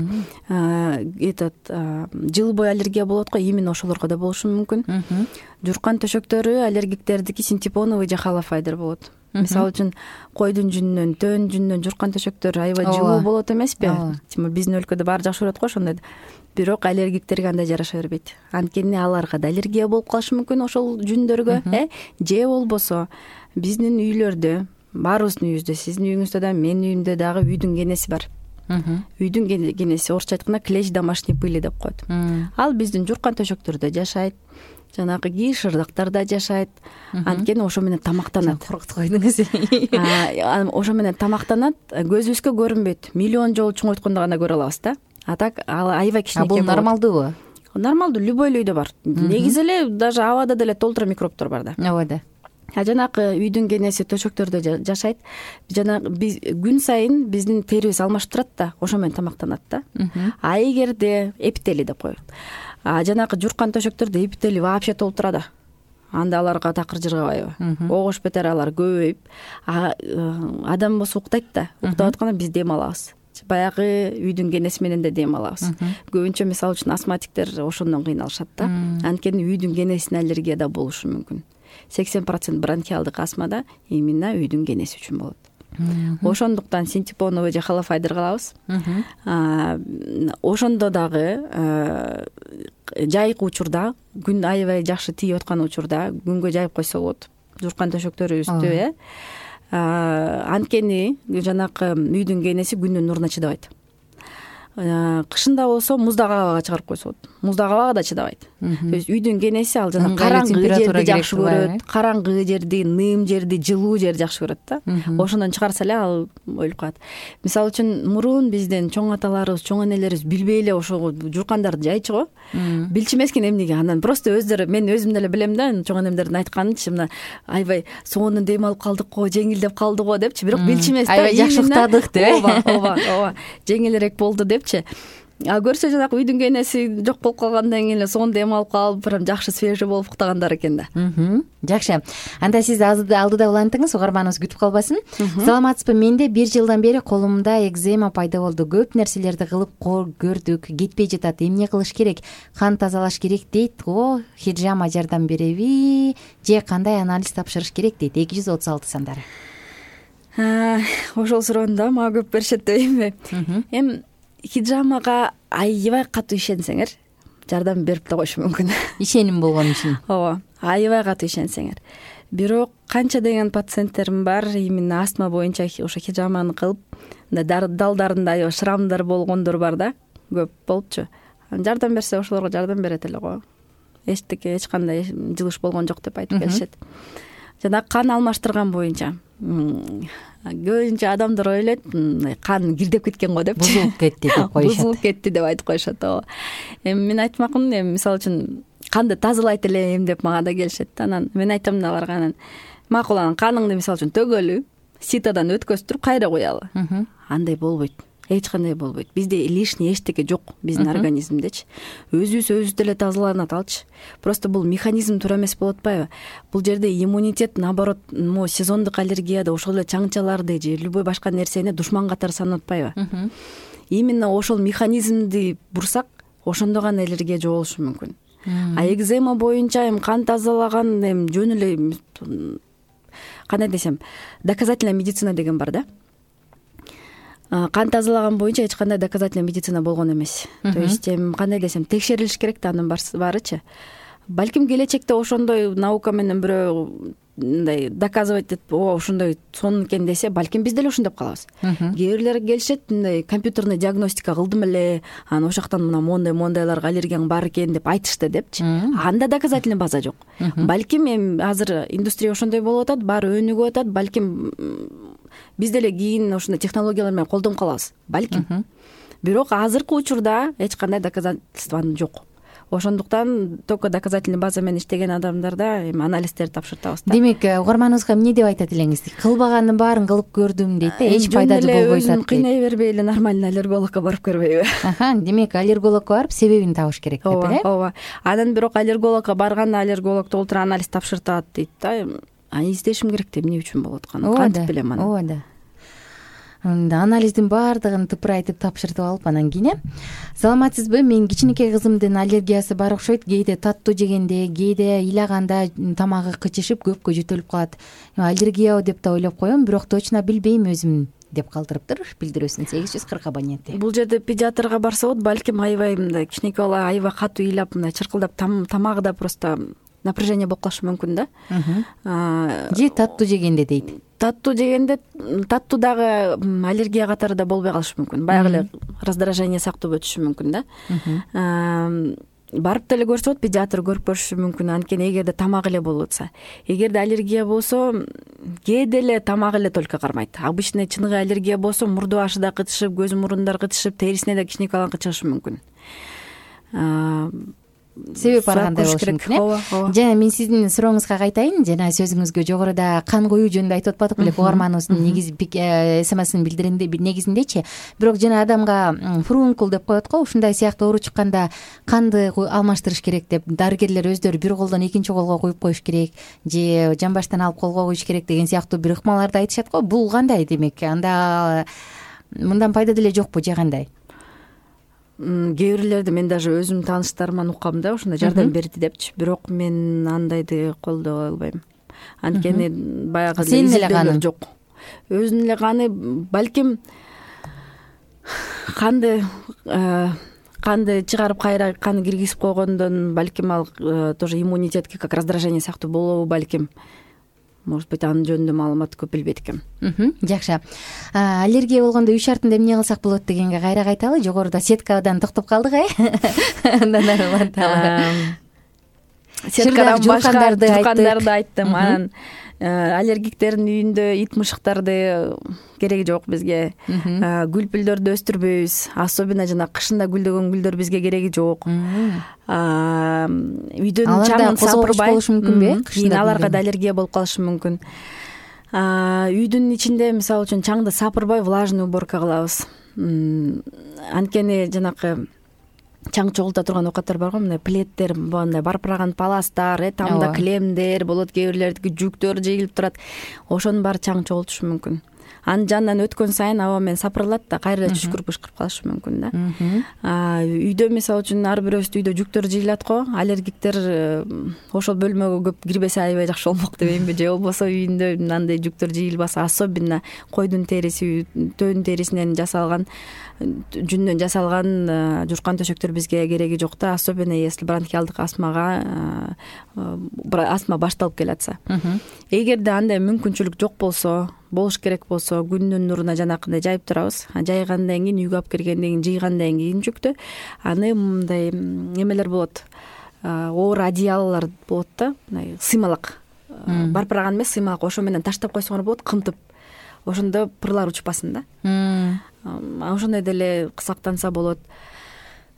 Жыл бою аллергия болот го, именно ошолорго да болушу мүмкүн. Журкан төшөктөрү аллергиктердики синтепоновый же холофайдер болот. Мисалы үчүн койдун жүнүнөн, төөнүн жүнүнөн журкан төшөктөр аябай жылуу болот эмеспи? Биздин өлкөдө баары жакшы көрөт го ошондойду. Бирок аллергиктерге андай жараша бербейт. Анткени аларга да аллергия болуп калышы мүмкүн ошол жүндөргө, же болбосо биздин үйлөрдө, баарыбыздын үйүбүздө, сиздин үйүңүздө да, менин үйүмдө дагы үйдүн кенеси бар. Үйдүн кенеси орусча айтканда клещ домашней пыли деп коет. Ал биздин журкан төшөктөрдө жашайт, жанагы кийиз шырдактарда жашайт. Анткени ошо менен тамактанат. Коркутуп койдуңуз. Ошо менен тамактанат, көзүбүзгө көрүнбөйт. Миллион жолу чоңойткондо гана көрө алабыз да. А так ал аябай кичинекей болот. Бул нормалдуубу? Нормалдуу, любой үйдө бар. Негизи эле даже абада деле толтура микробтор бар да. Ооба да. Жанагы үйдүн кенеси төшөктөрдө жашайт. Жанагы биз күн сайын биздин терибиз алмашып турат да, ошо менен тамактанат да. А эгерде эпители деп коет. Жанагы журкан төшөктөрдө эпители вообще толтура да. Анда аларга такыр жыргабайбы? Огош бетер алар көбөйүп, адам болсо уктайт да. Уктап атканда биз дем алабыз. баягы үйдүн кенеси менен да дем алабыз. Көбүнчө мисалы үчүн астматиктер ошондон кыйналышат да. Анткени үйдүн кенесине аллергия да болушу мүмкүн. 80% бронхиалдык астмада именно үйдүн кенеси үчүн болот. Ошондуктан синтепоновый же холофайдер кылабыз. Ошондо дагы жайкы учурда, күн аябай жакшы тийип аткан учурда күнгө жайып койсо болот. Журкан төшөктөрүбүздү. Анткени жанакы үйдүн кенеси күндүн нуруна чыдабайт. Кышында болсо муздак абага чыгарып койсо болот. Муздак абага да чыдабайт. То есть үйдүн кенеси ал жана караңгы жерди жакшы көрөт, караңгы жерди, ным жерди, жылуу жерди жакшы көрөт да. Ошондон чыгарса эле ал өлүп калат. Мисалы үчүн мурун биздин чоң аталарыбыз, чоң энелерибиз билбей эле ошо журкандарды жайчу го. Билчү эмескен эмнеге. Анан просто өздөрү, мен өзүм деле билем да, чоң энемдердин айтканынчы, мына аябай сонун дем алып калдык го, жеңилдеп калды го депчи, бирок билчү эмес да. Аябай жакшы уктадык деп. Ооба, жеңилирээк болду депчи. Көрсө жанагы үйдүн кенеси жок болуп калгандан кийин эле сонун дем алып калып, прям жакшы свежий болуп уктагандар экен да. Жакшы. Анда сиз алдыда улантыңыз, угарманыбыз күтүп калбасын. Саламатсызбы? Менде 1 жылдан бери колумда экзема пайда болду. Көп нерселерди кылып көрдүк, кетпей жатат. Эмне кылыш керек? Кан тазалаш керек дейт го. Хиджама жардам береби же кандай анализ тапшырыш керек дейт. 236 сандары. Ошол суроону да мага көп беришет дейм. Эми хиджамага аябай катуу ишенсеңер, жардам берип да коюшу мүмкүн. Ишеним болгон үчүн. Ооба, аябай катуу ишенсеңер. Бирок канча деген пациенттерим бар, именно астма боюнча ошо хиджаманы кылып, далдарында аябай шрамдар болгондор бар да, көп болупчу. Жардам берсе ошолорго жардам берет эле го. Эч кандай жылыш болгон жок деп айтып келишет. Жана кан алмаштырган боюнча көбүнчө адамдар ойлойт, кан кирдеп кеткен го депчи. Бузулуп кетти деп коюшат. Бузулуп кетти деп айтып коюшат. Ооба. Мен айтмакмын, мисалы үчүн канды тазалайт элем деп мага да келишет. Анан мен айтам да аларга, анан макул, анан каныңды мисалы үчүн төгөлү, ситадан өткөзүп кайра куялы. Андай болбойт. Эч кандай болбойт. Бизде лишний эчтеке жок, биздин организмдечи. Өзүбүз деле тазаланат алчы. Просто бул механизм туура эмес болуп атпайбы? Бул жерде иммунитет, наоборот, сезондук аллергияда ошол эле чаңчаларды же любой башка нерсени душман катары санап атпайбы? Именно ошол механизмди бурсак, ошондо гана аллергия жоголушу мүмкүн. А экзема боюнча кан тазалаган жөн эле, кандай десем, доказательная медицина деген бар да. Кан тазалаган боюнча эч кандай доказательная медицина болгон эмес. То есть кандай десем, текшерилиш керек да анын баарычы. Балким келечекте ошондой наука менен бирөө мындай доказывать этип, ошондой сонун экен десе, балким биз деле ошондоп калабыз. Кээ бирлер келишет, мындай компьютерный диагностика кылдым эле, анан ошол жактан мына мондайларга аллергияң бар экен деп айтышты депчи. Анда доказательный база жок. Балким эми азыр индустрия ошондой болуп атат, баары өнүгүп атат, балким биз деле кийин ошондой технологиялар менен колдонуп калабыз, балким. Бирок азыркы учурда эч кандай доказательство жок. Ошондуктан только доказательный база менен иштеген адамдарда эми анализдерди тапшыртабыз да. Демек, угарманыбызга эмне деп айтат элеңиз? Кылбаганын баарын кылып көрдүм дейт да, эч пайдасы болбой атат дейт. Кыйнай бербей эле нормальный аллергологко барып көрбөйбү? Демек, аллергологко барып себебин табыш керек деп эле. Ооба. Анан бирок аллергологко барганда аллерголог толтура анализ тапшыртат дейт да. Издешим керек да, эмне үчүн болуп атканын кантип билем аны. Ооба да. Анализдин баардыгын тыпыр айтып тапшыртып алып анан кийин. Саламатсызбы? Мен кичинекей кызымдын аллергиясы бар окшойт. Кээде таттуу жегенде, кээде ыйлаганда тамагы кычышып, көпкө жөтөлүп калат. Аллергия деп да ойлоп коем, бирок точно билбейм өзүм деп калтырыптыр билдирүүсүн. 840 абоненти. Бул жерде педиатрга барса болот, балким аябай мындай кичинекей бала аябай катуу ыйлап, мындай чыркылдап, тамагыда просто напряжение болуп калышы мүмкүн да. Же таттуу жегенде дейт. Таттуу жегенде, таттуу дагы аллергия катары да болбой калышы мүмкүн. Баягы эле раздражение сактап өтүшү мүмкүн да. Барып деле көрсө болот, педиатр көрүп көрүшү мүмкүн. Анткени эгерде тамак эле болуп атса, эгерде аллергия болсо, кээде эле тамак эле только кармайт. Обычный чыныгы аллергия болсо, мурду башы да кытышып, көзү мурундар кытышып, терисине да кичинекей баланын кычышы мүмкүн. Себеп бар кандай болушу мүмкүн. Жана мен сиздин сурооңузга кайтайын. Жана сөзүңүзгө жогоруда кан коюу жөнүндө айтып атпадык беле, угарманыбыздын СМС-ин билдиргенде негизиндечи. Бирок жана адамга фурункул деп коет го, ушундай сыяктуу оору чыкканда канды алмаштырыш керек деп дарыгерлер өздөрү бир колдон экинчи колго куюп коюш керек, же жамбаштан алып колго куюш керек деген сыяктуу бир ыкмаларды айтышат го. Бул кандай демек? Анда мындан пайда деле жокпу же кандай? Кээ бирлерди мен даже өзүмдүн тааныштарыман уккам да, ошондой жардам берди депчи, бирок мен андайды колдой албайм. Анткени баягы Сенин эле каның жок. Өзүнүн эле каны, балким канды чыгарып кайра каны киргизип койгондон балким ал тоже иммунитетке как раздражение сыяктуу болобу, балким. Может быть, анын жөнүндө маалымат көп билбейт экенм. Жакшы. Аллергия болгондо үй шартында эмне кылсак болот дегенге кайра кайталы. Жогоруда сеткадан токтоп калдык, Андан ары уланталы. Сеткадан башка жуккандарды айттым. Анан аллергиктердин үйүндө ит мышыктарды кереги жок бизге. Гүл пүлдөрдү өстүрбөйбүз. Особенно жана кышында гүлдөгөн гүлдөр бизге кереги жок. Үйдөн чаңын сапырбай болушу мүмкүнбү? Кийин аларга да аллергия болуп калышы мүмкүн. Үйдүн ичинде мисалы үчүн чаңды сапырбай влажный уборка кылабыз. Анткени жанакы чаң чогулта турган оокаттар бар го, мындай пледтер, мындай барпыраган паластар, тамда килемдер болот, кээ бирлердики жүктөр жыйылып турат. Ошонун баары чаң чогултушу мүмкүн. Анын жанынан өткөн сайын аба менен сапырылат да, кайра түшкүрүп бышкырып калышы мүмкүн да. Үйдө мисалы үчүн ар бирөөбүздүн үйдө жүктөр жыйылат го, аллергиктер ошол бөлмөгө көп кирбесе аябай жакшы болмок дебеймби, же болбосо үйүндө андай жүктөр жыйылбаса, особенно койдун териси, төөнүн терисинен жасалган, жүндөн жасалган журкан төшөктөр бизге кереги жок да, особенно если бронхиалдык астма башталып келатса. Эгерде андай мүмкүнчүлүк жок болсо, болуш керек болсо, күндүн нуруна жанакындай жайып турабыз. Жайгандан кийин, үйгө алып киргенден кийин, жыйгандан кийин жүктү, аны мындай эмелер болот, оор одеялолор болот да, мындай сыймалак, барпыраган эмес, сыймалак, ошо менен таштап койсоңор болот, кымтып. Ошондо пырлар учпасын да. Ошондой деле сактанса болот.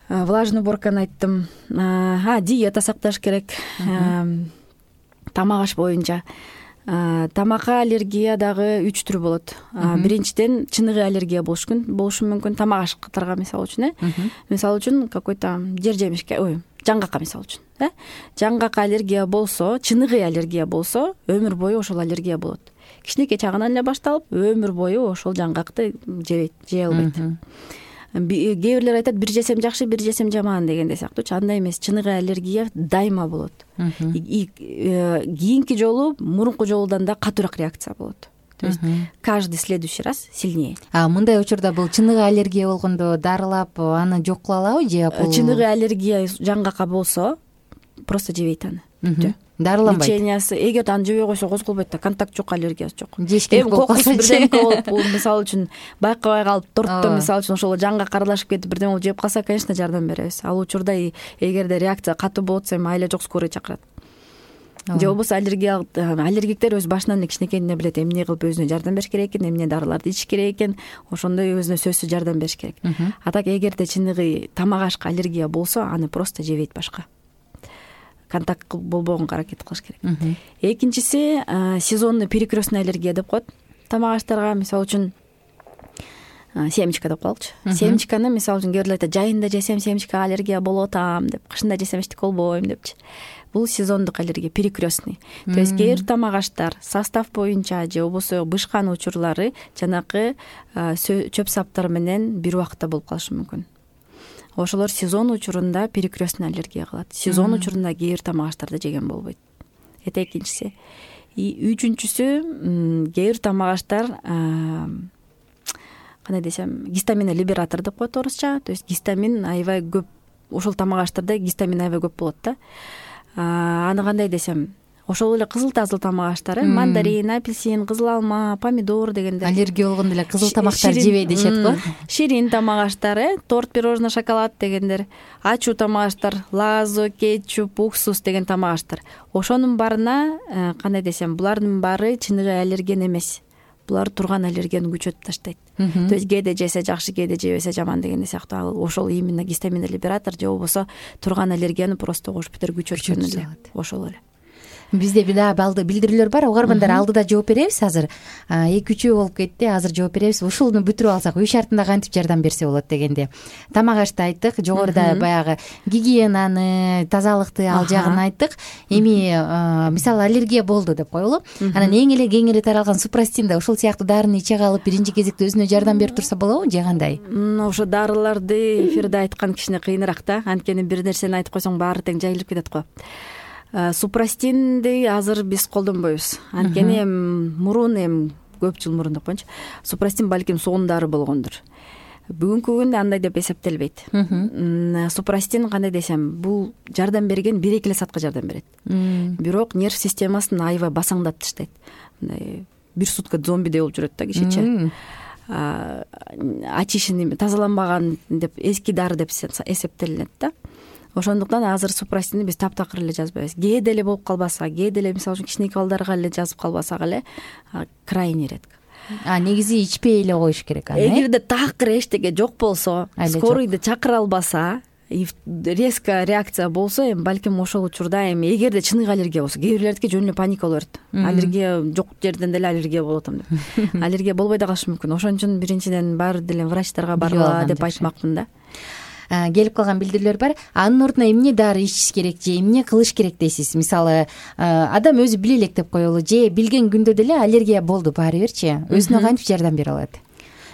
Влажный уборканы айттым. Диета сакташ керек. Тамак аш боюнча. Тамакка аллергия дагы 3 түрү болот. Биринчиден чыныгы аллергия болушу мүмкүн. Тамак аштарга мисалы үчүн, мисалы үчүн какой-то жер жемишке, жаңгакка мисалы үчүн, жаңгакка аллергия болсо, чыныгы аллергия болсо, өмүр бою ошол аллергия болот. Кичинекей чагынан эле башталып, өмүр бою ошол жаңгакты жей албайт. Кээ бирлер айтат, бир жесем жакшы, бир жесем жаман дегенде сыяктуучу. Андай эмес, чыныгы аллергия дайыма болот. Кийинки жолу мурунку жолудан да катуураак реакция болот. То есть каждый следующий раз сильнее. Мындай учурда бул чыныгы аллергия болгондо дарылап аны жок кыла алабы же? Чыныгы аллергия жаңгакка болсо, просто жебейт аны. Дарыланбайт. Лечениясы, эгер аны жебей койсо козголбойт да, контакт жок, аллергиясы жок. Эми кокусу бирдемке болуп, мисалы үчүн байкабай калып, тортто мисалы үчүн ошол жаңгак аралашып кетип бирдеме болуп жеп калса, конечно, жардам беребиз. Ал учурда эгерде реакция катуу болуп атса, эми айла жок, скорый чакырат. Же болбосо аллергиктер өз башынан эле кичинекейинен билет, эмне кылып өзүнө жардам бериш керек экен, эмне дарыларды ичиш керек экен, ошондой өзүнө сөзсүз жардам бериш керек. А так эгерде чыныгы тамак ашка аллергия болсо, аны просто жебейт башка. Контакт болбогонго аракет кылыш керек. Экинчиси сезонный перекрестный аллергия деп коет. Тамак аштарга мисалы үчүн семечка деп коелучу. Семечканы мисалы үчүн кээ бирлер айтат, жайында жесем семечкага аллергия болуп атам деп, кышында жесем эчтеке болбойм депчи. Бул сезондук аллергия, перекрестный. То есть кээ бир тамак аштар состав боюнча же болбосо бышкан учурлары жанакы чөп саптар менен бир убакытта болуп калышы мүмкүн. Ошолор сезон учурунда перекрестный аллергия кылат. Сезон учурунда кээ бир тамак аштарды жеген болбойт. Это экинчиси. Үчүнчүсү, кээ бир тамак аштар кандай десем, гистамин либератор деп коет орусча. То есть гистамин аябай көп, ошол тамак аштарда гистамин аябай көп болот да. Аны кандай десем, ошол эле кызыл тазыл тамак аштар, мандарин, апельсин, кызыл алма, помидор дегендер. Аллергия болгондо эле кызыл тамактар жебей дешет го. Ширин тамак аштар, торт, пирожное, шоколад дегендер. Ачуу тамак аштар, лазо, кетчуп, уксус деген тамак аштар. Ошонун баарына кандай десем, булардын баары чыныгы аллерген эмес. Булар турган аллергияны күчөтүп таштайт. То есть кээде жесе жакшы, кээде жебесе жаман деген сыяктуу. Ал ошол именно гистамин либератор же болбосо турган аллергияны просто кош битер күчөткөн эле. Ошол эле. Бизде дагы билдирүүлөр бар, угармандар алдыда жооп беребиз. Азыр 2-3 болуп кетти, азыр жооп беребиз. Ушуну бүтүрүп алсак үй шартында кантип жардам берсе болот дегенде. Тамак ашты айттык, жогоруда баягы гигиенаны, тазалыкты ал жагын айттык. Эми мисалы аллергия болду деп коелу. Анан эң эле кеңири таралган супрастин да ушул сыяктуу дарыны иче калып биринчи кезекте өзүнө жардам берип турса болобу же кандай? Ошо дарыларды эфирде айткан кичине кыйыныраак да. Анткени бир нерсени айтып койсоң баары тең жайылып кетет го. Супрастинди азыр биз колдонбойбуз. Анткени мурун көп жыл мурун деп коеюнчу. Супрастин балким сонун дары болгондур. Бүгүнкү күндө андай деп эсептелбейт. Супрастин кандай десем, бул жардам берген 1-2 саатка жардам берет. Бирок нерв системасын аябай басаңдатып таштайт. Мындай бир сутка зомбидей болуп жүрөт да кишиче. Ачышын тазаланбаган деп эски дары деп эсептелинет да. Ошондуктан азыр супрастинди биз таптакыр эле жазбайбыз. Кээде эле болуп калбаса, кээде эле мисалы үчүн кичинекей балдарга эле жазып калбасак эле крайне редко. Негизи ичпей эле коюш керек аны. Эгерде такыр эчтеке жок болсо, скорыйды чакыра албаса, резко реакция болсо, балким ошол учурда эгерде чыныгы аллергия болсо, кээ бирлердики жөн эле паника боло берет. Аллергия жок жерден деле аллергия болуп атам деп. Аллергия болбой да калышы мүмкүн. Ошон үчүн биринчиден баары деле врачтарга баргыла деп айтмакмын да. Келип калган билдирүүлөр бар. Анын ордуна эмне дары ичиш керек же эмне кылыш керек дейсиз? Мисалы, адам өзү биле элек деп коелу, же билген күндө деле аллергия болду баары бирчи, өзүнө кантип жардам бере алат?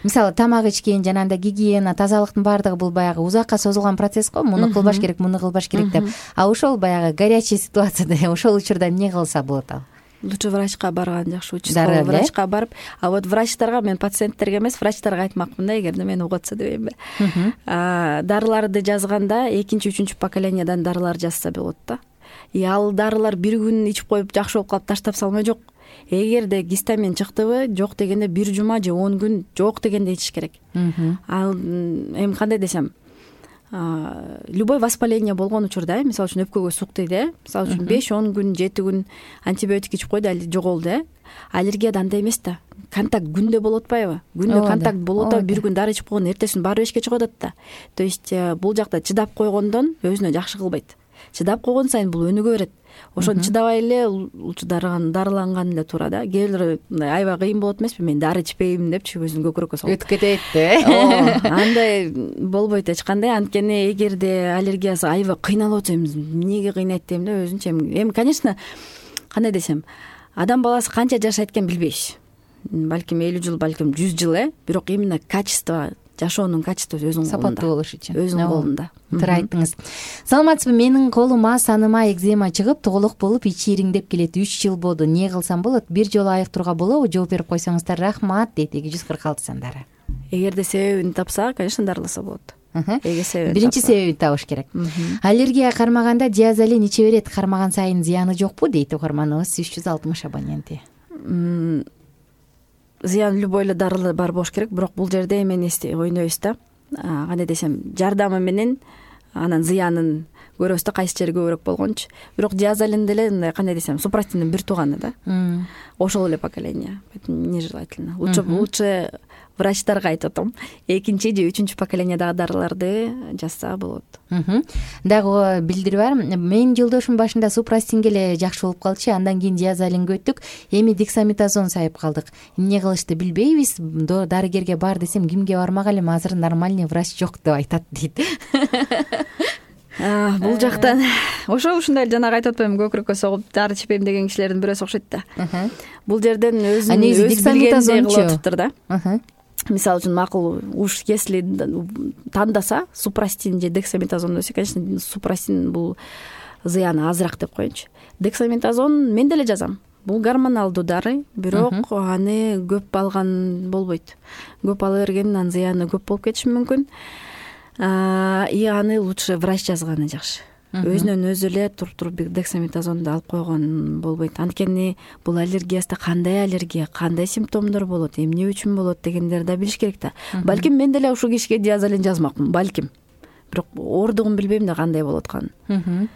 Мисалы, тамак ичкен, жанагындай гигиена, тазалыктын баардыгы бул баягы узакка созулган процесс го. Муну кылбаш керек, муну кылбаш керек деп. Ошол баягы горячий ситуацияда ошол учурда эмне кылса болот ал? Лучше врачка барган жакшы, участковый врачка барып, вот врачтарга, мен пациенттерге эмес, врачтарга айтмакмын да, эгерде мени угатса дебеймби. Дарыларды жазганда 2-3 поколениядан дарылар жазса болот да. Ал дарылар бир күн ичип коюп жакшы болуп калып таштап салмай жок. Эгерде гистамин чыктыбы, жок дегенде 1 жума же 10 күн жок дегенде ичиш керек. Ал кандай десем, любой воспаление болгон учурда, мисалы үчүн өпкөгө сук тийди, мисалы үчүн 5-10 күн, 7 күн антибиотик ичип койду, жоголду. Аллергияда андай эмес да. Контакт күндө болуп атпайбы? Күндө контакт болуп атып, бир күн дары ичип койгон, эртесин баары эшикке чыгып атат да. То есть бул жакта чыдап койгондон өзүнө жакшы кылбайт. Чыдап койгон сайын бул өнүгө берет. Ошону чыдабай эле лучше дарыланган эле туура да. Кээ бирлер аябай кыйын болот эмеспи? Мен дары ичпейм депчи өзүн көкүрөккө салып. Өтүп кетет да. Андай болбойт эч кандай. Анткени эгерде аллергиясы аябай кыйналып атса, эмнеге кыйнайт дейм да өзүнчө. Конечно, кандай десем, адам баласы канча жашайт экен билбейбиз. Балким 50 жыл, балким 100 жыл, бирок именно качество, жашоонун качествосу өзүнүн колунда. Сапаттуу болуш үчүн. Өзүнүн колунда. Туура айттыңыз. Саламатсызбы? Менин колума, саныма экзема чыгып, тоголок болуп, ичи ириңдеп келет. 3 жыл болду. Эмне кылсам болот? Бир жолу айыктырууга болобу? Жооп берип койсоңуздар рахмат дейт 246 сандары. Эгерде себебин тапса, конечно, дарыласа болот. Биринчи себебин табыш керек. Аллергия кармаганда диазолин иче берет, кармаган сайын зыяны жокпу дейт угарманыбыз 360 абоненти. Зыян любой эле дарылар бар болуш керек, бирок бул жерде эмен ойнойбуз да. Кандай десем, жардамы менен анан зыянын көрөбүз да, кайсы жери көбүрөөк болгончу. Бирок диазолин деле кандай десем, супрастиндин бир тууганы да. Ошол эле поколение. Нежелательно. Лучше врачтарга айтып атам. 2 же 3 поколениядагы дарыларды жазса болот. Дагы билдирүү бар. Менин жолдошум башында супрастинге эле жакшы болуп калчу, андан кийин диазолинге өттүк. Эми дексаметазон сайып калдык. Эмне кылышты билбейбиз. Дарыгерге бар десем, кимге бармак элем, азыр нормальный врач жок деп айтат дейт. Бул жактан ушундай жанагы айтып атпаймынбы, көкүрөккө согуп дары ичпейм деген кишилердин бирөөсү окшойт да. Бул жерден өзүн билгендей кылып атыптыр да. Мисалы үчүн макул, уж если тандаса супрастин же дексаметазон десе, конечно, супрастин бул зыяны азыраак деп коеюнчу. Дексаметазон мен деле жазам. Бул гормоналдуу дары, бирок аны көп алган болбойт. Көп ала бергенин анын зыяны көп болуп кетиши мүмкүн. Аны лучше врач жазганы жакшы. Өзүнөн өзү эле туруп дексаметазонду алып койгон болбойт. Анткени бул аллергияда кандай аллергия, кандай симптомдор болот, эмне үчүн болот дегендерди да билиш керек да. Балким мен деле ушул кишиге диазолин жазмакмын, балким. Бирок ордугун билбейм да кандай болот атканын.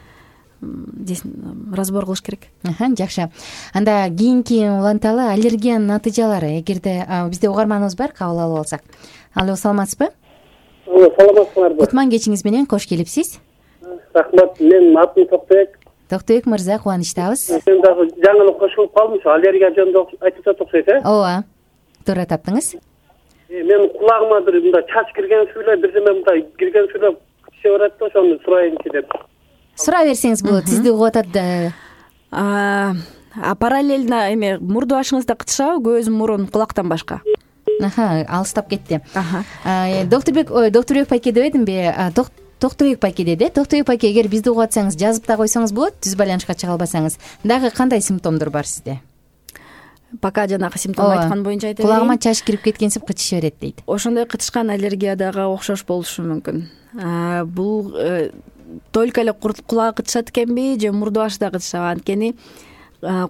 Разбор кылыш керек. Жакшы. Анда кийинки уланталы аллергиянын натыйжалары. Эгерде бизде угарманыбыз бар, кабыл алып алсак. Алло, саламатсызбы? Саламатсыздарбы? Кутман кечиңиз менен кош келипсиз. Рахмат. Менин атым Токтобек. Токтойбек мырза, кубанычтабыз. Мен дагы жаңылык кошулуп калдым. Аллергия жөнүндө айтып атат окшойт, ооба, туура таптыңыз. Мен кулагыма бир мындай чач киргенси эле, бирдеме мындай киргенси эле киче барат да, ошону сурайынчы деп. Сурай берсеңиз болот, сизди угуп атат да. Параллельно эме мурду башыңызда кытышабы, көз, мурун, кулактан башка? Алыстап кетти. Доктурбек пайке деп эдимби? Токтойбек пайке деди. Токтойбек пайке, эгер бизди угуп атсаңыз, жазып да койсоңуз болот, түз байланышка чыга албасаңыз. Дагы кандай симптомдор бар сизде? Пока жанагы симптом айткан боюнча айта берейин. Кулагыма чаш кирип кеткенсип кычыша берет дейт. Ошондой кычышкан аллергиядагы окшош болушу мүмкүн. Бул только эле кулагы кычышат экенби же мурду башы да кычышабы? Анткени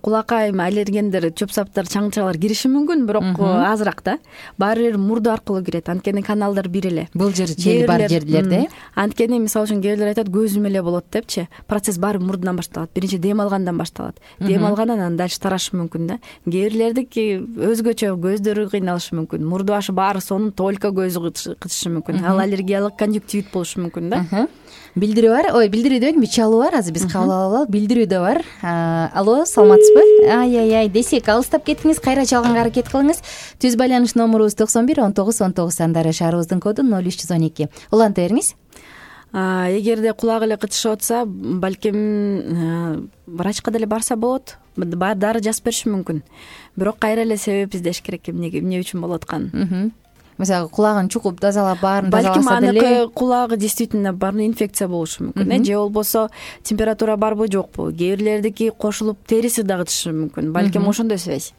кулакка эми аллергендер, чөп саптар, чаңчалар кириши мүмкүн, бирок азыраак да. Баары бир мурду аркылуу кирет. Анткени каналдар бир эле. Бул жери бар жерлерде. Анткени мисалы үчүн кээ бирлер айтат, көзүм эле болот депчи. Процесс баары мурдунан башталат. Биринчи дем алгандан башталат. Дем алгандан анан дальше тарашы мүмкүн да. Кээ бирлердики өзгөчө, көздөрү кыйналышы мүмкүн. Мурду башы баары сонун, только көзү кычышы мүмкүн. Ал аллергиялык конъюнктивит болушу мүмкүн да. Билдирүү бар. Билдирүү дебедимби? Чалуу бар. Азыр биз кабыл алалы. Билдирүү да бар. Алло, саламатсызбы? Ай, десек, алыстап кеттиңиз, кайра чалганга аракет кылыңыз. Түз байланыш номерубуз 91 19 19 сандары, шаарыбыздын коду 0312. Уланта бериңиз. Эгерде кулагы эле кычышып атса, балким врачка деле барса болот. Дары жазып бериши мүмкүн. Бирок кайра эле себеп издеш керек, эмне үчүн болуп атканын. Мисалы, кулагын чукуп тазалап, баарын тазаласа деле. Балким деле. аныкы кулагы действительно барбы инфекция болушу мүмкүн. Же болбосо температура барбы, жокпу? Кээ бирлердики кошулуп териси да кычышы мүмкүн. Балким ошондой связь.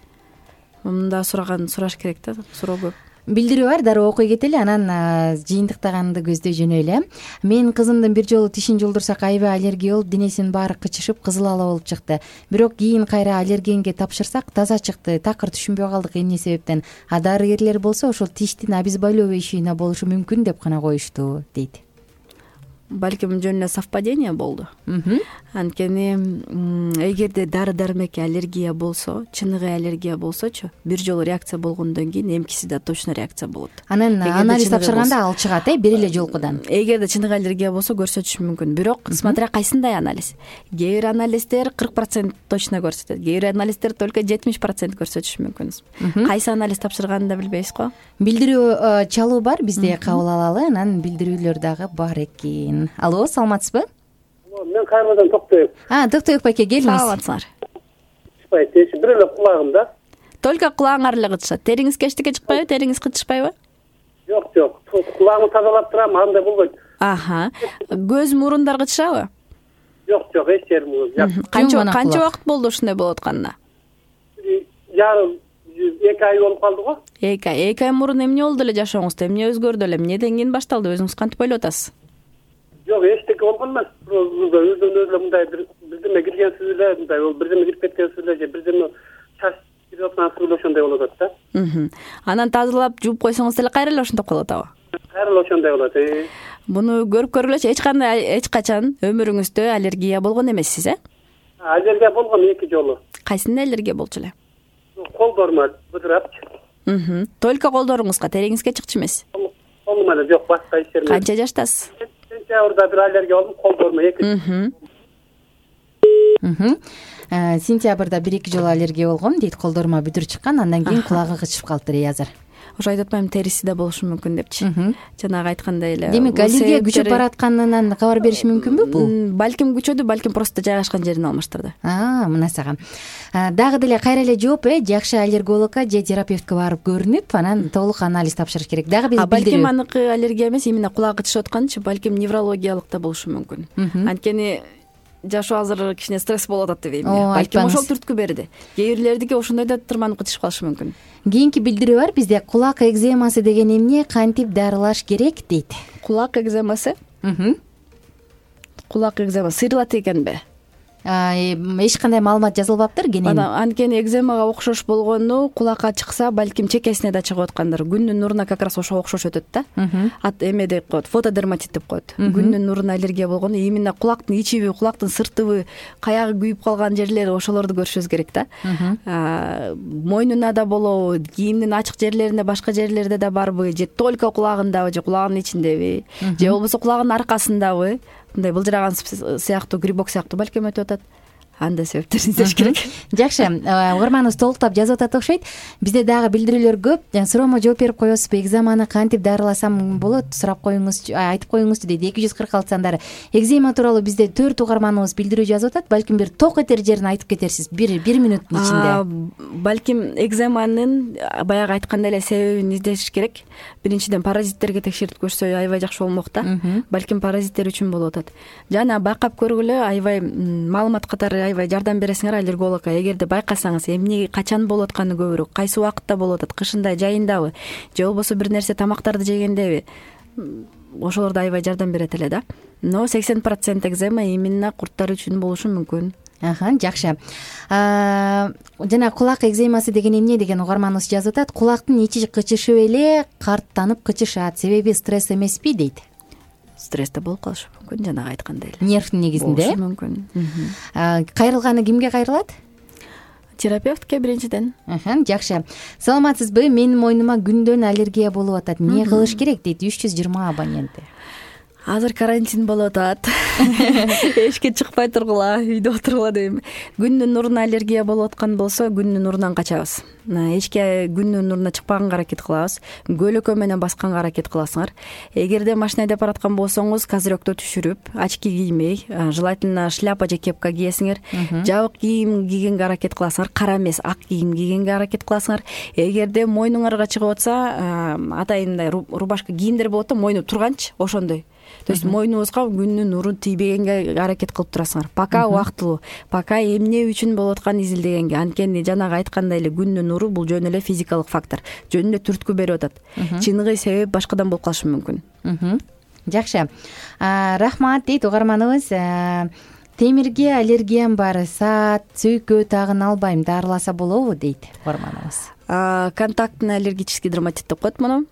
Мында сураш керек да, суроо көп. Билдирүү бар, дароо окуй кетели, анан жыйынтыктаганды көздөй жөнөйлү. Менин кызымдын бир жолу тишин жолдурсак аябай аллергия болуп, денесинин баары кычышып, кызыл ала болуп чыкты. Бирок кийин кайра аллергенге тапшырсак, таза чыкты. Такыр түшүнбөй калдык эмне себептен. Дарыгерлер болсо ошол тиштин обезболивающийине болушу мүмкүн деп гана коюшту, дейт. Балким жөн эле совпадение болду. Анткени эгерде дары дармекке аллергия болсо, чыныгы аллергия болсочу, бир жолу реакция болгондон кийин эмкиси да точно реакция болот. Анан анализ тапшырганда ал чыгат, бир эле жолкудан. Эгерде чыныгы аллергия болсо көрсөтүшү мүмкүн. Бирок смотря кайсындай анализ. Кээ бир анализдер 40% точно көрсөтөт. Кээ бир анализдер только 70% көрсөтүшү мүмкүн. Кайсы анализ тапшырганын да билбейсиз го. Билдирүү чалуу бар, бизде кабыл алалы, анан билдирүүлөр дагы бар экен. Алло, саламатсызбы? Мен Кайрадан Токтойбек. Токтойбек пайке, келиңиз. Саламатсыңар. Бир эле кулагым да. Только кулагыңар эле кычышат. Териңизге эчтеке чыкпайбы? Териңиз кычышпайбы? Жок. Кулагымды тазалап турам, андай болбойт. Көз, мурундар кычышабы? Жок, эч жерим жок. Канча убакыт болду ушундай болуп атканына? Жарым 2 ай болуп калды го. 2 ай мурун эмне болду эле жашооңузда? Эмне өзгөрдү эле? Эмнеден кийин башталды? Өзүңүз кантип ойлоп атасыз? Жок, эчтеке болгон эмес. Өзүнө мындай бирдеме киргенсиз эле, мындай бирдеме кирип кеткенсиз эле же бирдеме чач кирип аткансыз эле ошондой болуп атат да. Анан тазалап жууп койсоңуз деле кайра эле ошондой болуп атабы? Кайра эле ошондой болот. Буну көрүп көргүлөчү, эч качан өмүрүңүздө аллергия болгон эмессиз, Аллергия болгон 2 жолу. Кайсында аллергия болчу эле? Колдорума быдырапчы. Только колдоруңузга, териңизге чыкчу эмес? Колума эле жок, башка иш жерге. Канча жаштасыз? Сентябрда бир аллергия болдум, колдорума 2. Сентябрда 1-2 жолу аллергия болгом, дейт, колдорума бүдүр чыккан, андан кийин кулагы кычышып калыптыр азыр. Ошо айтып атпаймынбы, териси да болушу мүмкүн депчи. Жанагы айткандай эле. Демек, аллергия күчөп баратканынан кабар бериши мүмкүнбү бул? Балким күчөдү, балким просто жайгашкан жерин алмаштырды. Мына сага. Дагы деле кайра эле жооп, жакшы аллергологко же терапевтке барып көрүнүп, анан толук анализ тапшырыш керек. Дагы биз билдирүү. Балким аныкы аллергия эмес, именно кулак кычышып атканчы, балким неврологиялык да болушу мүмкүн. Анткени жашоо азыр кичине стресс болуп атат дебейм. Балким ошол түрткү берди. Кээ бирлердики ошондой да тырманып кычышып калышы мүмкүн. Кийинки билдирүү бар бизде. Кулак экземасы деген эмне, кантип дарылаш керек, дейт. Кулак экземасы? Кулак экземасы сыйрылат экенби? Эч кандай маалымат жазылбаптыр, кенен. Анткени экземага окшош болгону кулакка чыкса, балким чекесине да чыгып аткандыр. Күндүн нуруна как раз ошого окшош өтөт да. Эме деп коет, фотодерматит деп коет. Күндүн нуруна аллергия болгону, именно кулактын ичиби, кулактын сыртыбы, каягы күйүп калган жерлери, ошолорду көрүшүбүз керек да. Мойнуна да болобу, кийимдин ачык жерлерине, башка жерлерде да барбы, же только кулагындабы, же кулагынын ичиндеби, же болбосо кулагынын аркасындабы, мындай былжыраган сыяктуу грибок сыяктуу балким өтүп атат. Андай себептерин издеш керек. Жакшы, угарманыбыз толуктап жазып атат окшойт. Бизде дагы билдирүүлөр көп. Суроомо жооп берип коесузбу? Экземаны кантип дарыласам болот? Сурап коюңузчу, айтып коюңузчу дейт. 246 сандары. Экзема тууралуу бизде 4 угарманыбыз билдирүү жазып атат. Балким бир ток этер жерин айтып кетерсиз. 1 мүнөттүн ичинде. Балким экземанын баягы айткандай эле себебин издеш керек. Биринчиден паразиттерге текшертип көрсө аябай жакшы болмок да. Балким паразиттер үчүн болуп атат. Жана байкап көргүлө, аябай маалымат катары аябай жардам бересиңер аллергологко. Эгерде байкасаңыз эмне качан болуп атканы көбүрөөк, кайсы убакытта болуп атат, кышында, жайындабы, же болбосо бир нерсе тамактарды жегендеби, ошолор да аябай жардам берет эле да. Но 80% экзема именно курттар үчүн болушу мүмкүн. Жакшы. Жана кулак экземасы деген эмне деген угарманыбыз жазып атат. Кулактын ичи кычышып эле карттанып кычышат. Себеби стресс эмеспи дейт. Стрессте болуп калышы мүмкүн, жанагы айткандай эле. Нервтин негизинде болушу мүмкүн. Кайрылганы кимге кайрылат? Терапевтке биринчиден. Жакшы. Саламатсызбы? Менин мойнума күндөн аллергия болуп атат. Эмне кылыш керек дейт 320 абоненти. Азыр карантин болуп атат. Эшикке чыкпай тургула, үйдө отургула дейм. Күндүн нуруна аллергия болуп аткан болсо, күндүн нурунан качабыз. Эшикке күндүн нуруна чыкпаганга аракет кылабыз. Көйлөкө менен басканга аракет кыласыңар. Эгерде машина айдап бараткан болсоңуз, козырёкту түшүрүп, очки киймей, желательно шляпа же кепка кийесиңер. Жабык кийим кийгенге аракет кыласыңар, кара эмес, ак кийим кийгенге аракет кыласыңар. Эгерде мойнуңарга чыгып атса, атайын мындай рубашка кийимдер болот да, мойну турганчы, ошондой. То есть мойнуңузга күндүн нуру тийбегенге аракет кылып турасыңар. Пока убактылуу, пока эмне үчүн болуп атканын изилдегенге. Анткени жанагы айткандай эле күндүн нуру бул жөн эле физикалык фактор. Жөн эле түрткү берип атат. Чыныгы себеп башкадан болуп калышы мүмкүн. Жакшы. Рахмат дейт угарманыбыз. Темирге аллергиям бар, саат, сүйкө тагын албайм, дарыласа болобу дейт угарманыбыз. Контактный аллергический дерматит деп коет муну.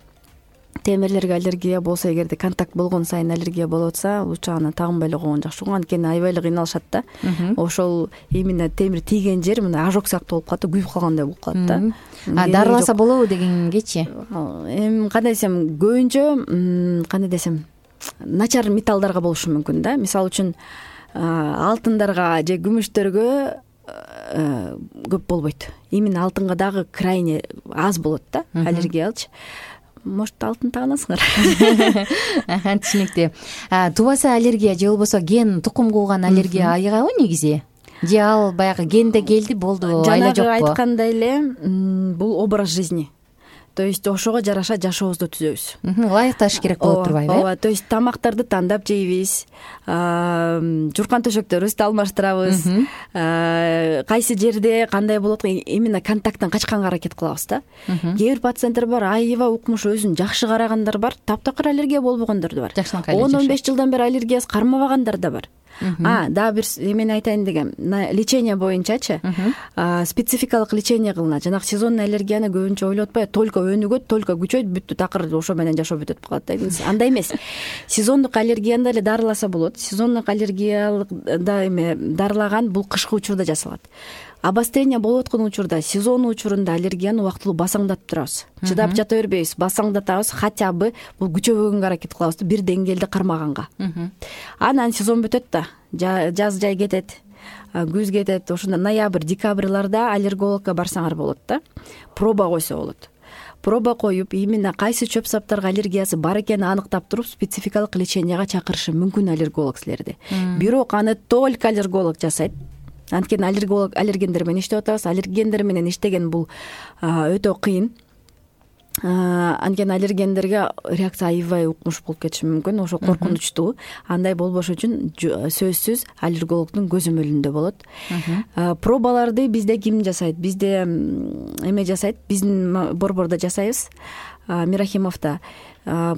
Темирлерге аллергия болсо, эгерде контакт болгон сайын аллергия болуп атса, лучше аны тагынбай эле койгон жакшы. Анткени аябай эле кыйналышат да. Ошол именно темир тийген жер мына ожог сыяктуу болуп калат да, күйүп калгандай болуп калат да. Дарыласа болобу дегенгечи? Эми кандай десем, көбүнчө кандай десем, начар металлдарга болушу мүмкүн да. Мисалы үчүн алтындарга же күмүштөргө көп болбойт. Именно алтынга дагы крайне аз болот да аллергиялчы. Может, алтын тааганасыңар. Түшүнүктүү. Тубаса аллергия же болбосо ген тукум кууган аллергия айыгабы негизи? Же ал баягы генде келди, болду, айла жокпу? Жанагы айткандай эле, бул образ жизни. То есть ошого жараша жашообузду түзөбүз. Ылайыкташ керек болуп турбайбы? Ооба, то есть тамактарды тандап жейбиз, журкан төшөктөрүбүздү алмаштырабыз, кайсы жерде кандай болот, именно контакттан качканга аракет кылабыз да. Кээ бир пациенттер бар, аябай укмуш, өзүн жакшы карагандар бар, таптакыр аллергия болбогондар да бар. 10-15 жылдан бери аллергиясы кармабагандар да бар. Дагы бир эмени айтайын дегем. Лечение боюнчачы спецификалык лечение кылынат. Жанагы сезонный аллергияны көбүнчө ойлоп атпайбы, только өнүгөт, только күчөйт, бүттү, такыр ошо менен жашоо бүтөт калат да. Андай эмес. Сезондук аллергияны деле дарыласа болот. Сезондук аллергиялык да эме дарылаган бул кышкы учурда жасалат. Обострение болуп аткан учурда, сезон учурунда аллергияны убактылуу басаңдатып турабыз. Чыдап жата бербейбиз, басаңдатабыз, хотя бы бул күчөбөгөнгө аракет кылабыз, бир деңгээлде кармаганга. Анан сезон бүтөт да, жаз жай кетет, күз кетет, ошондо ноябрь, декабрларда аллергологко барсаңар болот да. Проба койсо болот. Проба коюп, именно кайсы чөп саптарга аллергиясы бар экенин аныктап туруп, спецификалык леченияга чакырышы мүмкүн аллерголог силерди. Бирок аны только аллерголог жасайт. Анткени аллергендер менен иштеп атабыз. Аллергендер менен иштеген бул өтө кыйын. Анткени аллергендерге реакция аябай укмуш болуп кетиши мүмкүн. Ошо коркунучтуу. Андай болбош үчүн сөзсүз аллергологдун көзөмөлүндө болот. Пробаларды бизде ким жасайт? Бизде эме жасайт, биздин борбордо жасайбыз. Мирахимовдо.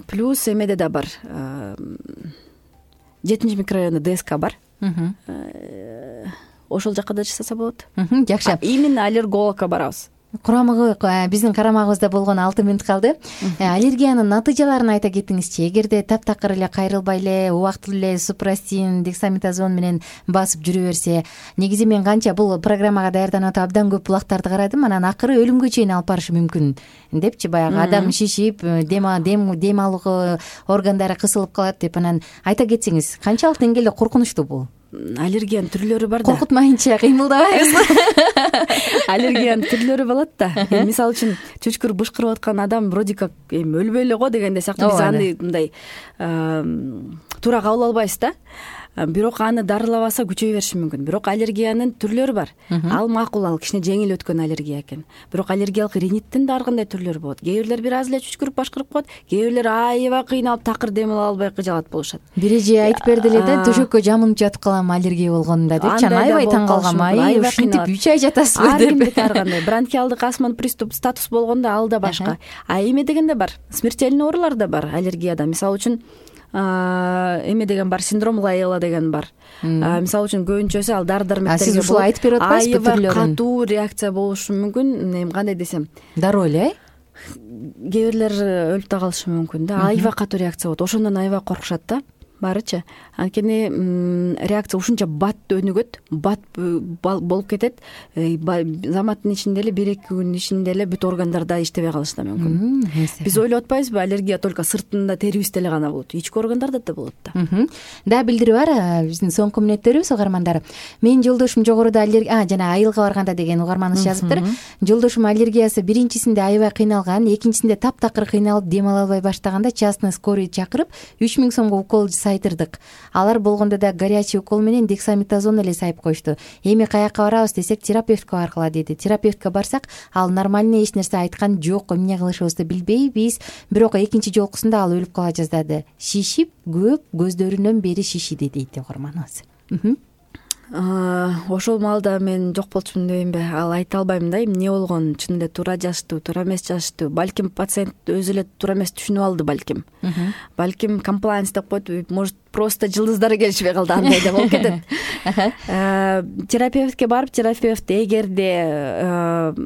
Плюс эмеде да бар. 7 микрорайондо ДСК бар. Ошол жакка да жасаса болот. Жакшы. Именно аллергологко барабыз. биздин карамагыбызда болгону 6 мүнөт калды. Аллергиянын натыйжаларын айта кетиңизчи. Эгерде таптакыр эле кайрылбай эле убактылуу эле супрастин, дексаметазон менен басып жүрө берсе, негизи мен канча бул программага даярданып атып абдан көп булактарды карадым. Анан акыры өлүмгө чейин алып барышы мүмкүн депчи, баягы адам шишип, дем алуу органдары кысылып калат деп. Анан айта кетсеңиз, канчалык деңгээлде коркунучтуу бул? Аллергиянын түрлөрү бар да. Коркутмайынча кыймылдабайбыз. Аллергиянын түрлөрү болот да. Мисалы үчүн чүчкүр бышкырып аткан адам вроде как өлбөй эле го дегенде сыяктуу биз аны мындай туура кабыл албайбыз да. Бирок аны дарылабаса күчөй бериши мүмкүн. Бирок аллергиянын түрлөрү бар. Ал макул, ал кичине жеңил өткөн аллергия экен. Бирок аллергиялык риниттин да ар кандай түрлөрү болот. Кээ бирлер бир аз эле чүчкүрүп башкырып коет, кээ бирлер аябай кыйналып такыр дем ала албай кыжалат болушат. Бир эже айтып берди эле да, төшөккө жамынып жатып калам аллергия болгонунда депчи. Аябай таң калгам. Ушинтип 3 ай жатасызбы деп. Ар кандай бронхиалдык астманын приступ статус болгондо ал да башка. Эме деген да бар. Смертельный оорулар да бар аллергияда. Мисалы үчүн эме деген бар, синдром Лайела деген бар. Мисалы үчүн көбүнчөсү ал дары-дармектерге сиз ушул айтып берип атпайсызбы түрлөрүн? Аябай катуу реакция болушу мүмкүн. Кандай десем, дароо эле кээ бирлер өлүп да калышы мүмкүн да. Аябай катуу реакция болот. Ошондон аябай коркушат да баарычы. Анткени реакция ушунча бат өнүгөт, бат болуп кетет. Заматтын ичинде эле 1-2 күн ичинде эле бүт органдарда иштебей калышы да мүмкүн. Биз ойлоп атпайбызбы, аллергия только сыртында, терибизде эле гана болот. Ички органдарда да болот да. Да, билдирүү бар биздин соңку мүнөттөрүбүз угармандар. Менин жолдошум жогоруда жана айылга барганда деген угарманыбыз жазыптыр. Жолдошум аллергиясы биринчисинде аябай кыйналган, экинчисинде таптакыр кыйналып дем ала албай баштаганда частный скорый чакырып 3000 сомго укол айтырдык. Алар болгондо да горячий укол менен дексаметазон эле сайып коюшту. Эми каякка барабыз десек, терапевтке баргыла деди. Терапевтке барсак, ал нормальный эч нерсе айткан жок, эмне кылышыбызды билбейбиз. Бирок экинчи жолкусунда ал өлүп кала жаздады. Шишип, көп көздөрүнөн бери шишиди дейт угарманыбыз. Ошол маалда мен жок болчумун дебеймби, ал айта албайм да, эмне болгон, чын эле туура жазыштуу, туура эмес жазыштуу. Балким пациент өзү эле туура эмес түшүнүп алды, балким комплайенс деп коет, может просто жылдыздары келишпей калды, андай да болуп кетет. Терапевтке барып, терапевт эгерде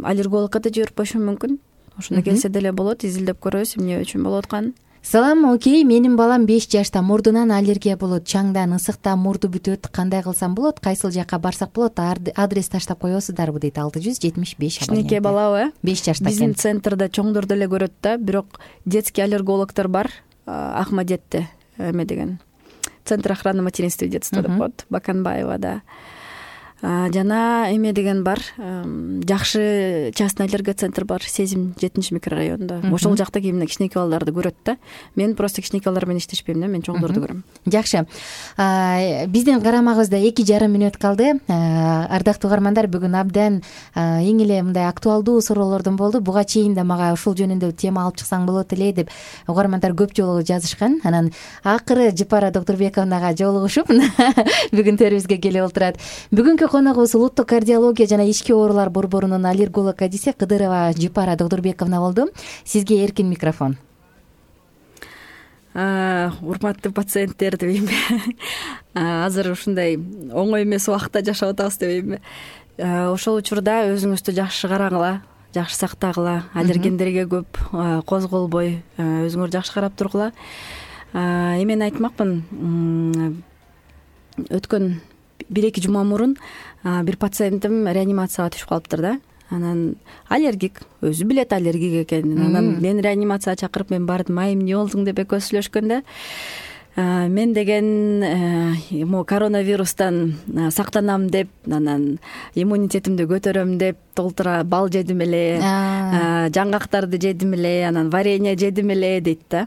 аллергологко да жиберип мүмкүн. Ошондо келсе деле болот, изилдеп көрөбүз эмне үчүн болуп атканын. Салам, окей, менин балам 5 жашта, мурдунан аллергия болот, чаңдан, ысыктан мурду бүтөт, кандай кылсам болот, кайсыл жакка барсак болот, адрес таштап коесуздарбы дейт 675 абонент. Кичинекей балабы? 5 жашта экен. Биздин центрда чоңдорду эле көрөт да, бирок детский аллергологдор бар, Ахмадетте, эме деген. Центр охраны материнства и детства деп коет, Баканбаевада. Жана эме деген бар, жакшы частный аллергия центр бар, Сезим 7 микрорайонунда. Ошол жакта кийимде кичинекей балдарды көрөт да. Мен просто кичинекей балдар менен иштешпейм да, мен чоңдорду көрөм. Жакшы. Биздин карамагыбызда 2,5 мүнөт калды. Ардактуу угармандар, бүгүн абдан эң эле мындай актуалдуу суроолордон болду. Буга чейин да мага ушул жөнүндө тема алып чыксаң болот эле деп угармандар көп жолу жазышкан. Анан акыры Жапара Доктурбековнага жолугушуп бүгүн төрүбүзгө келип отурат. Бүгүнкү коногубуз улуттук кардиология жана ички оорулар борборунун аллерголог адиси Кыдырова Жапара Доктурбековна болду. Сизге эркин микрофон. Урматтуу пациенттер дебеймби? Азыр ушундай оңой эмес убакытта жашап атабыз дебеймби? Ошол учурда өзүңүздү жакшы карагыла, жакшы сактагыла, аллергендерге көп козголбой, өзүңөр жакшы карап тургула. Эмени айтмакмын, өткөн 1-2 жума мурун бир пациентим реанимацияга түшүп калыптыр да. Анан аллергик, өзү билет аллергик экенин. Анан мен реанимацияга чакырып, мен бардым, эмне болдуң деп экөөбүз сүйлөшкөндө, мен деген могу коронавирустан сактанам деп, анан иммунитетимди көтөрөм деп толтура бал жедим эле, жаңгактарды жедим эле, анан варенье жедим эле дейт да.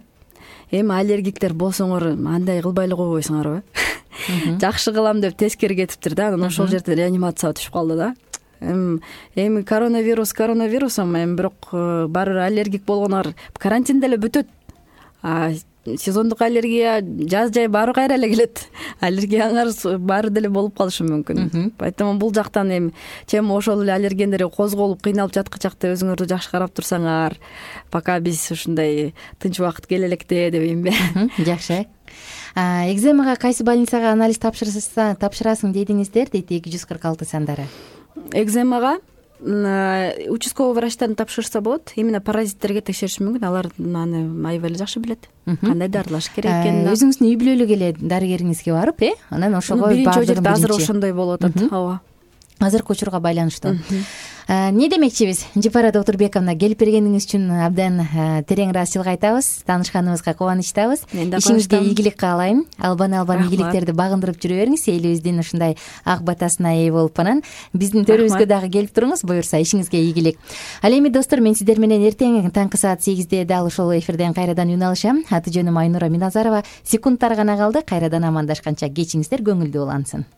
Эми аллергиктер болсоңор андай кылбай эле койбойсуңарбы? Жакшы кылам деп тескери кетиптир да. Анан ошол жерде реанимацияга түшүп калды да. Эми коронавирусом, эми бирок баары бир аллергик болгонор карантинде эле бүтөт. Сезондук аллергия жаз жай баары кайра эле келет. Аллергияңар баары деле болуп калышы мүмкүн. Поэтому бул жактан эми чем ошол эле аллергендер козголуп кыйналып жаткычакта өзүңөрдү жакшы карап турсаңар, пока биз ушундай тынч убакыт келе электе дебеймби? Жакшы. Экземага кайсы больницага анализ тапшырасың дедиңиздер, дейт 246 сандары. Экземага участковый врачтан тапшырса болот. Именно паразиттерге текшериш мүмкүн. Алар аны аябай эле жакшы билет. Кандай дарылаш керек экенин. Өзүңүздүн үй бүлөлүк эле дарыгериңизге барып, анан ошого биринчи очередде азыр ошондой болуп атат. Ооба. Азыркы учурга байланыштуу. Не демекчибиз? Жапара Доктурбековна, келип бергениңиз үчүн абдан терең ыраазычылык айтабыз. Таанышканыбызга кубанычтабыз. Ишиңизге ийгилик каалайм. Албан ийгиликтерди багындырып жүрө бериңиз. Элибиздин ушундай ак батасына ээ болуп анан биздин төрүбүзгө дагы келип туруңуз, буюрса. Ишиңизге ийгилик. Ал эми достор, мен сиздер менен эртең таңкы саат 8де дал ушул эфирден кайрадан үн алышам. Аты жөнүм Айнура Миназарова. Секундтар гана калды. Кайрадан амандашканча кечиңиздер көңүлдүү улансын.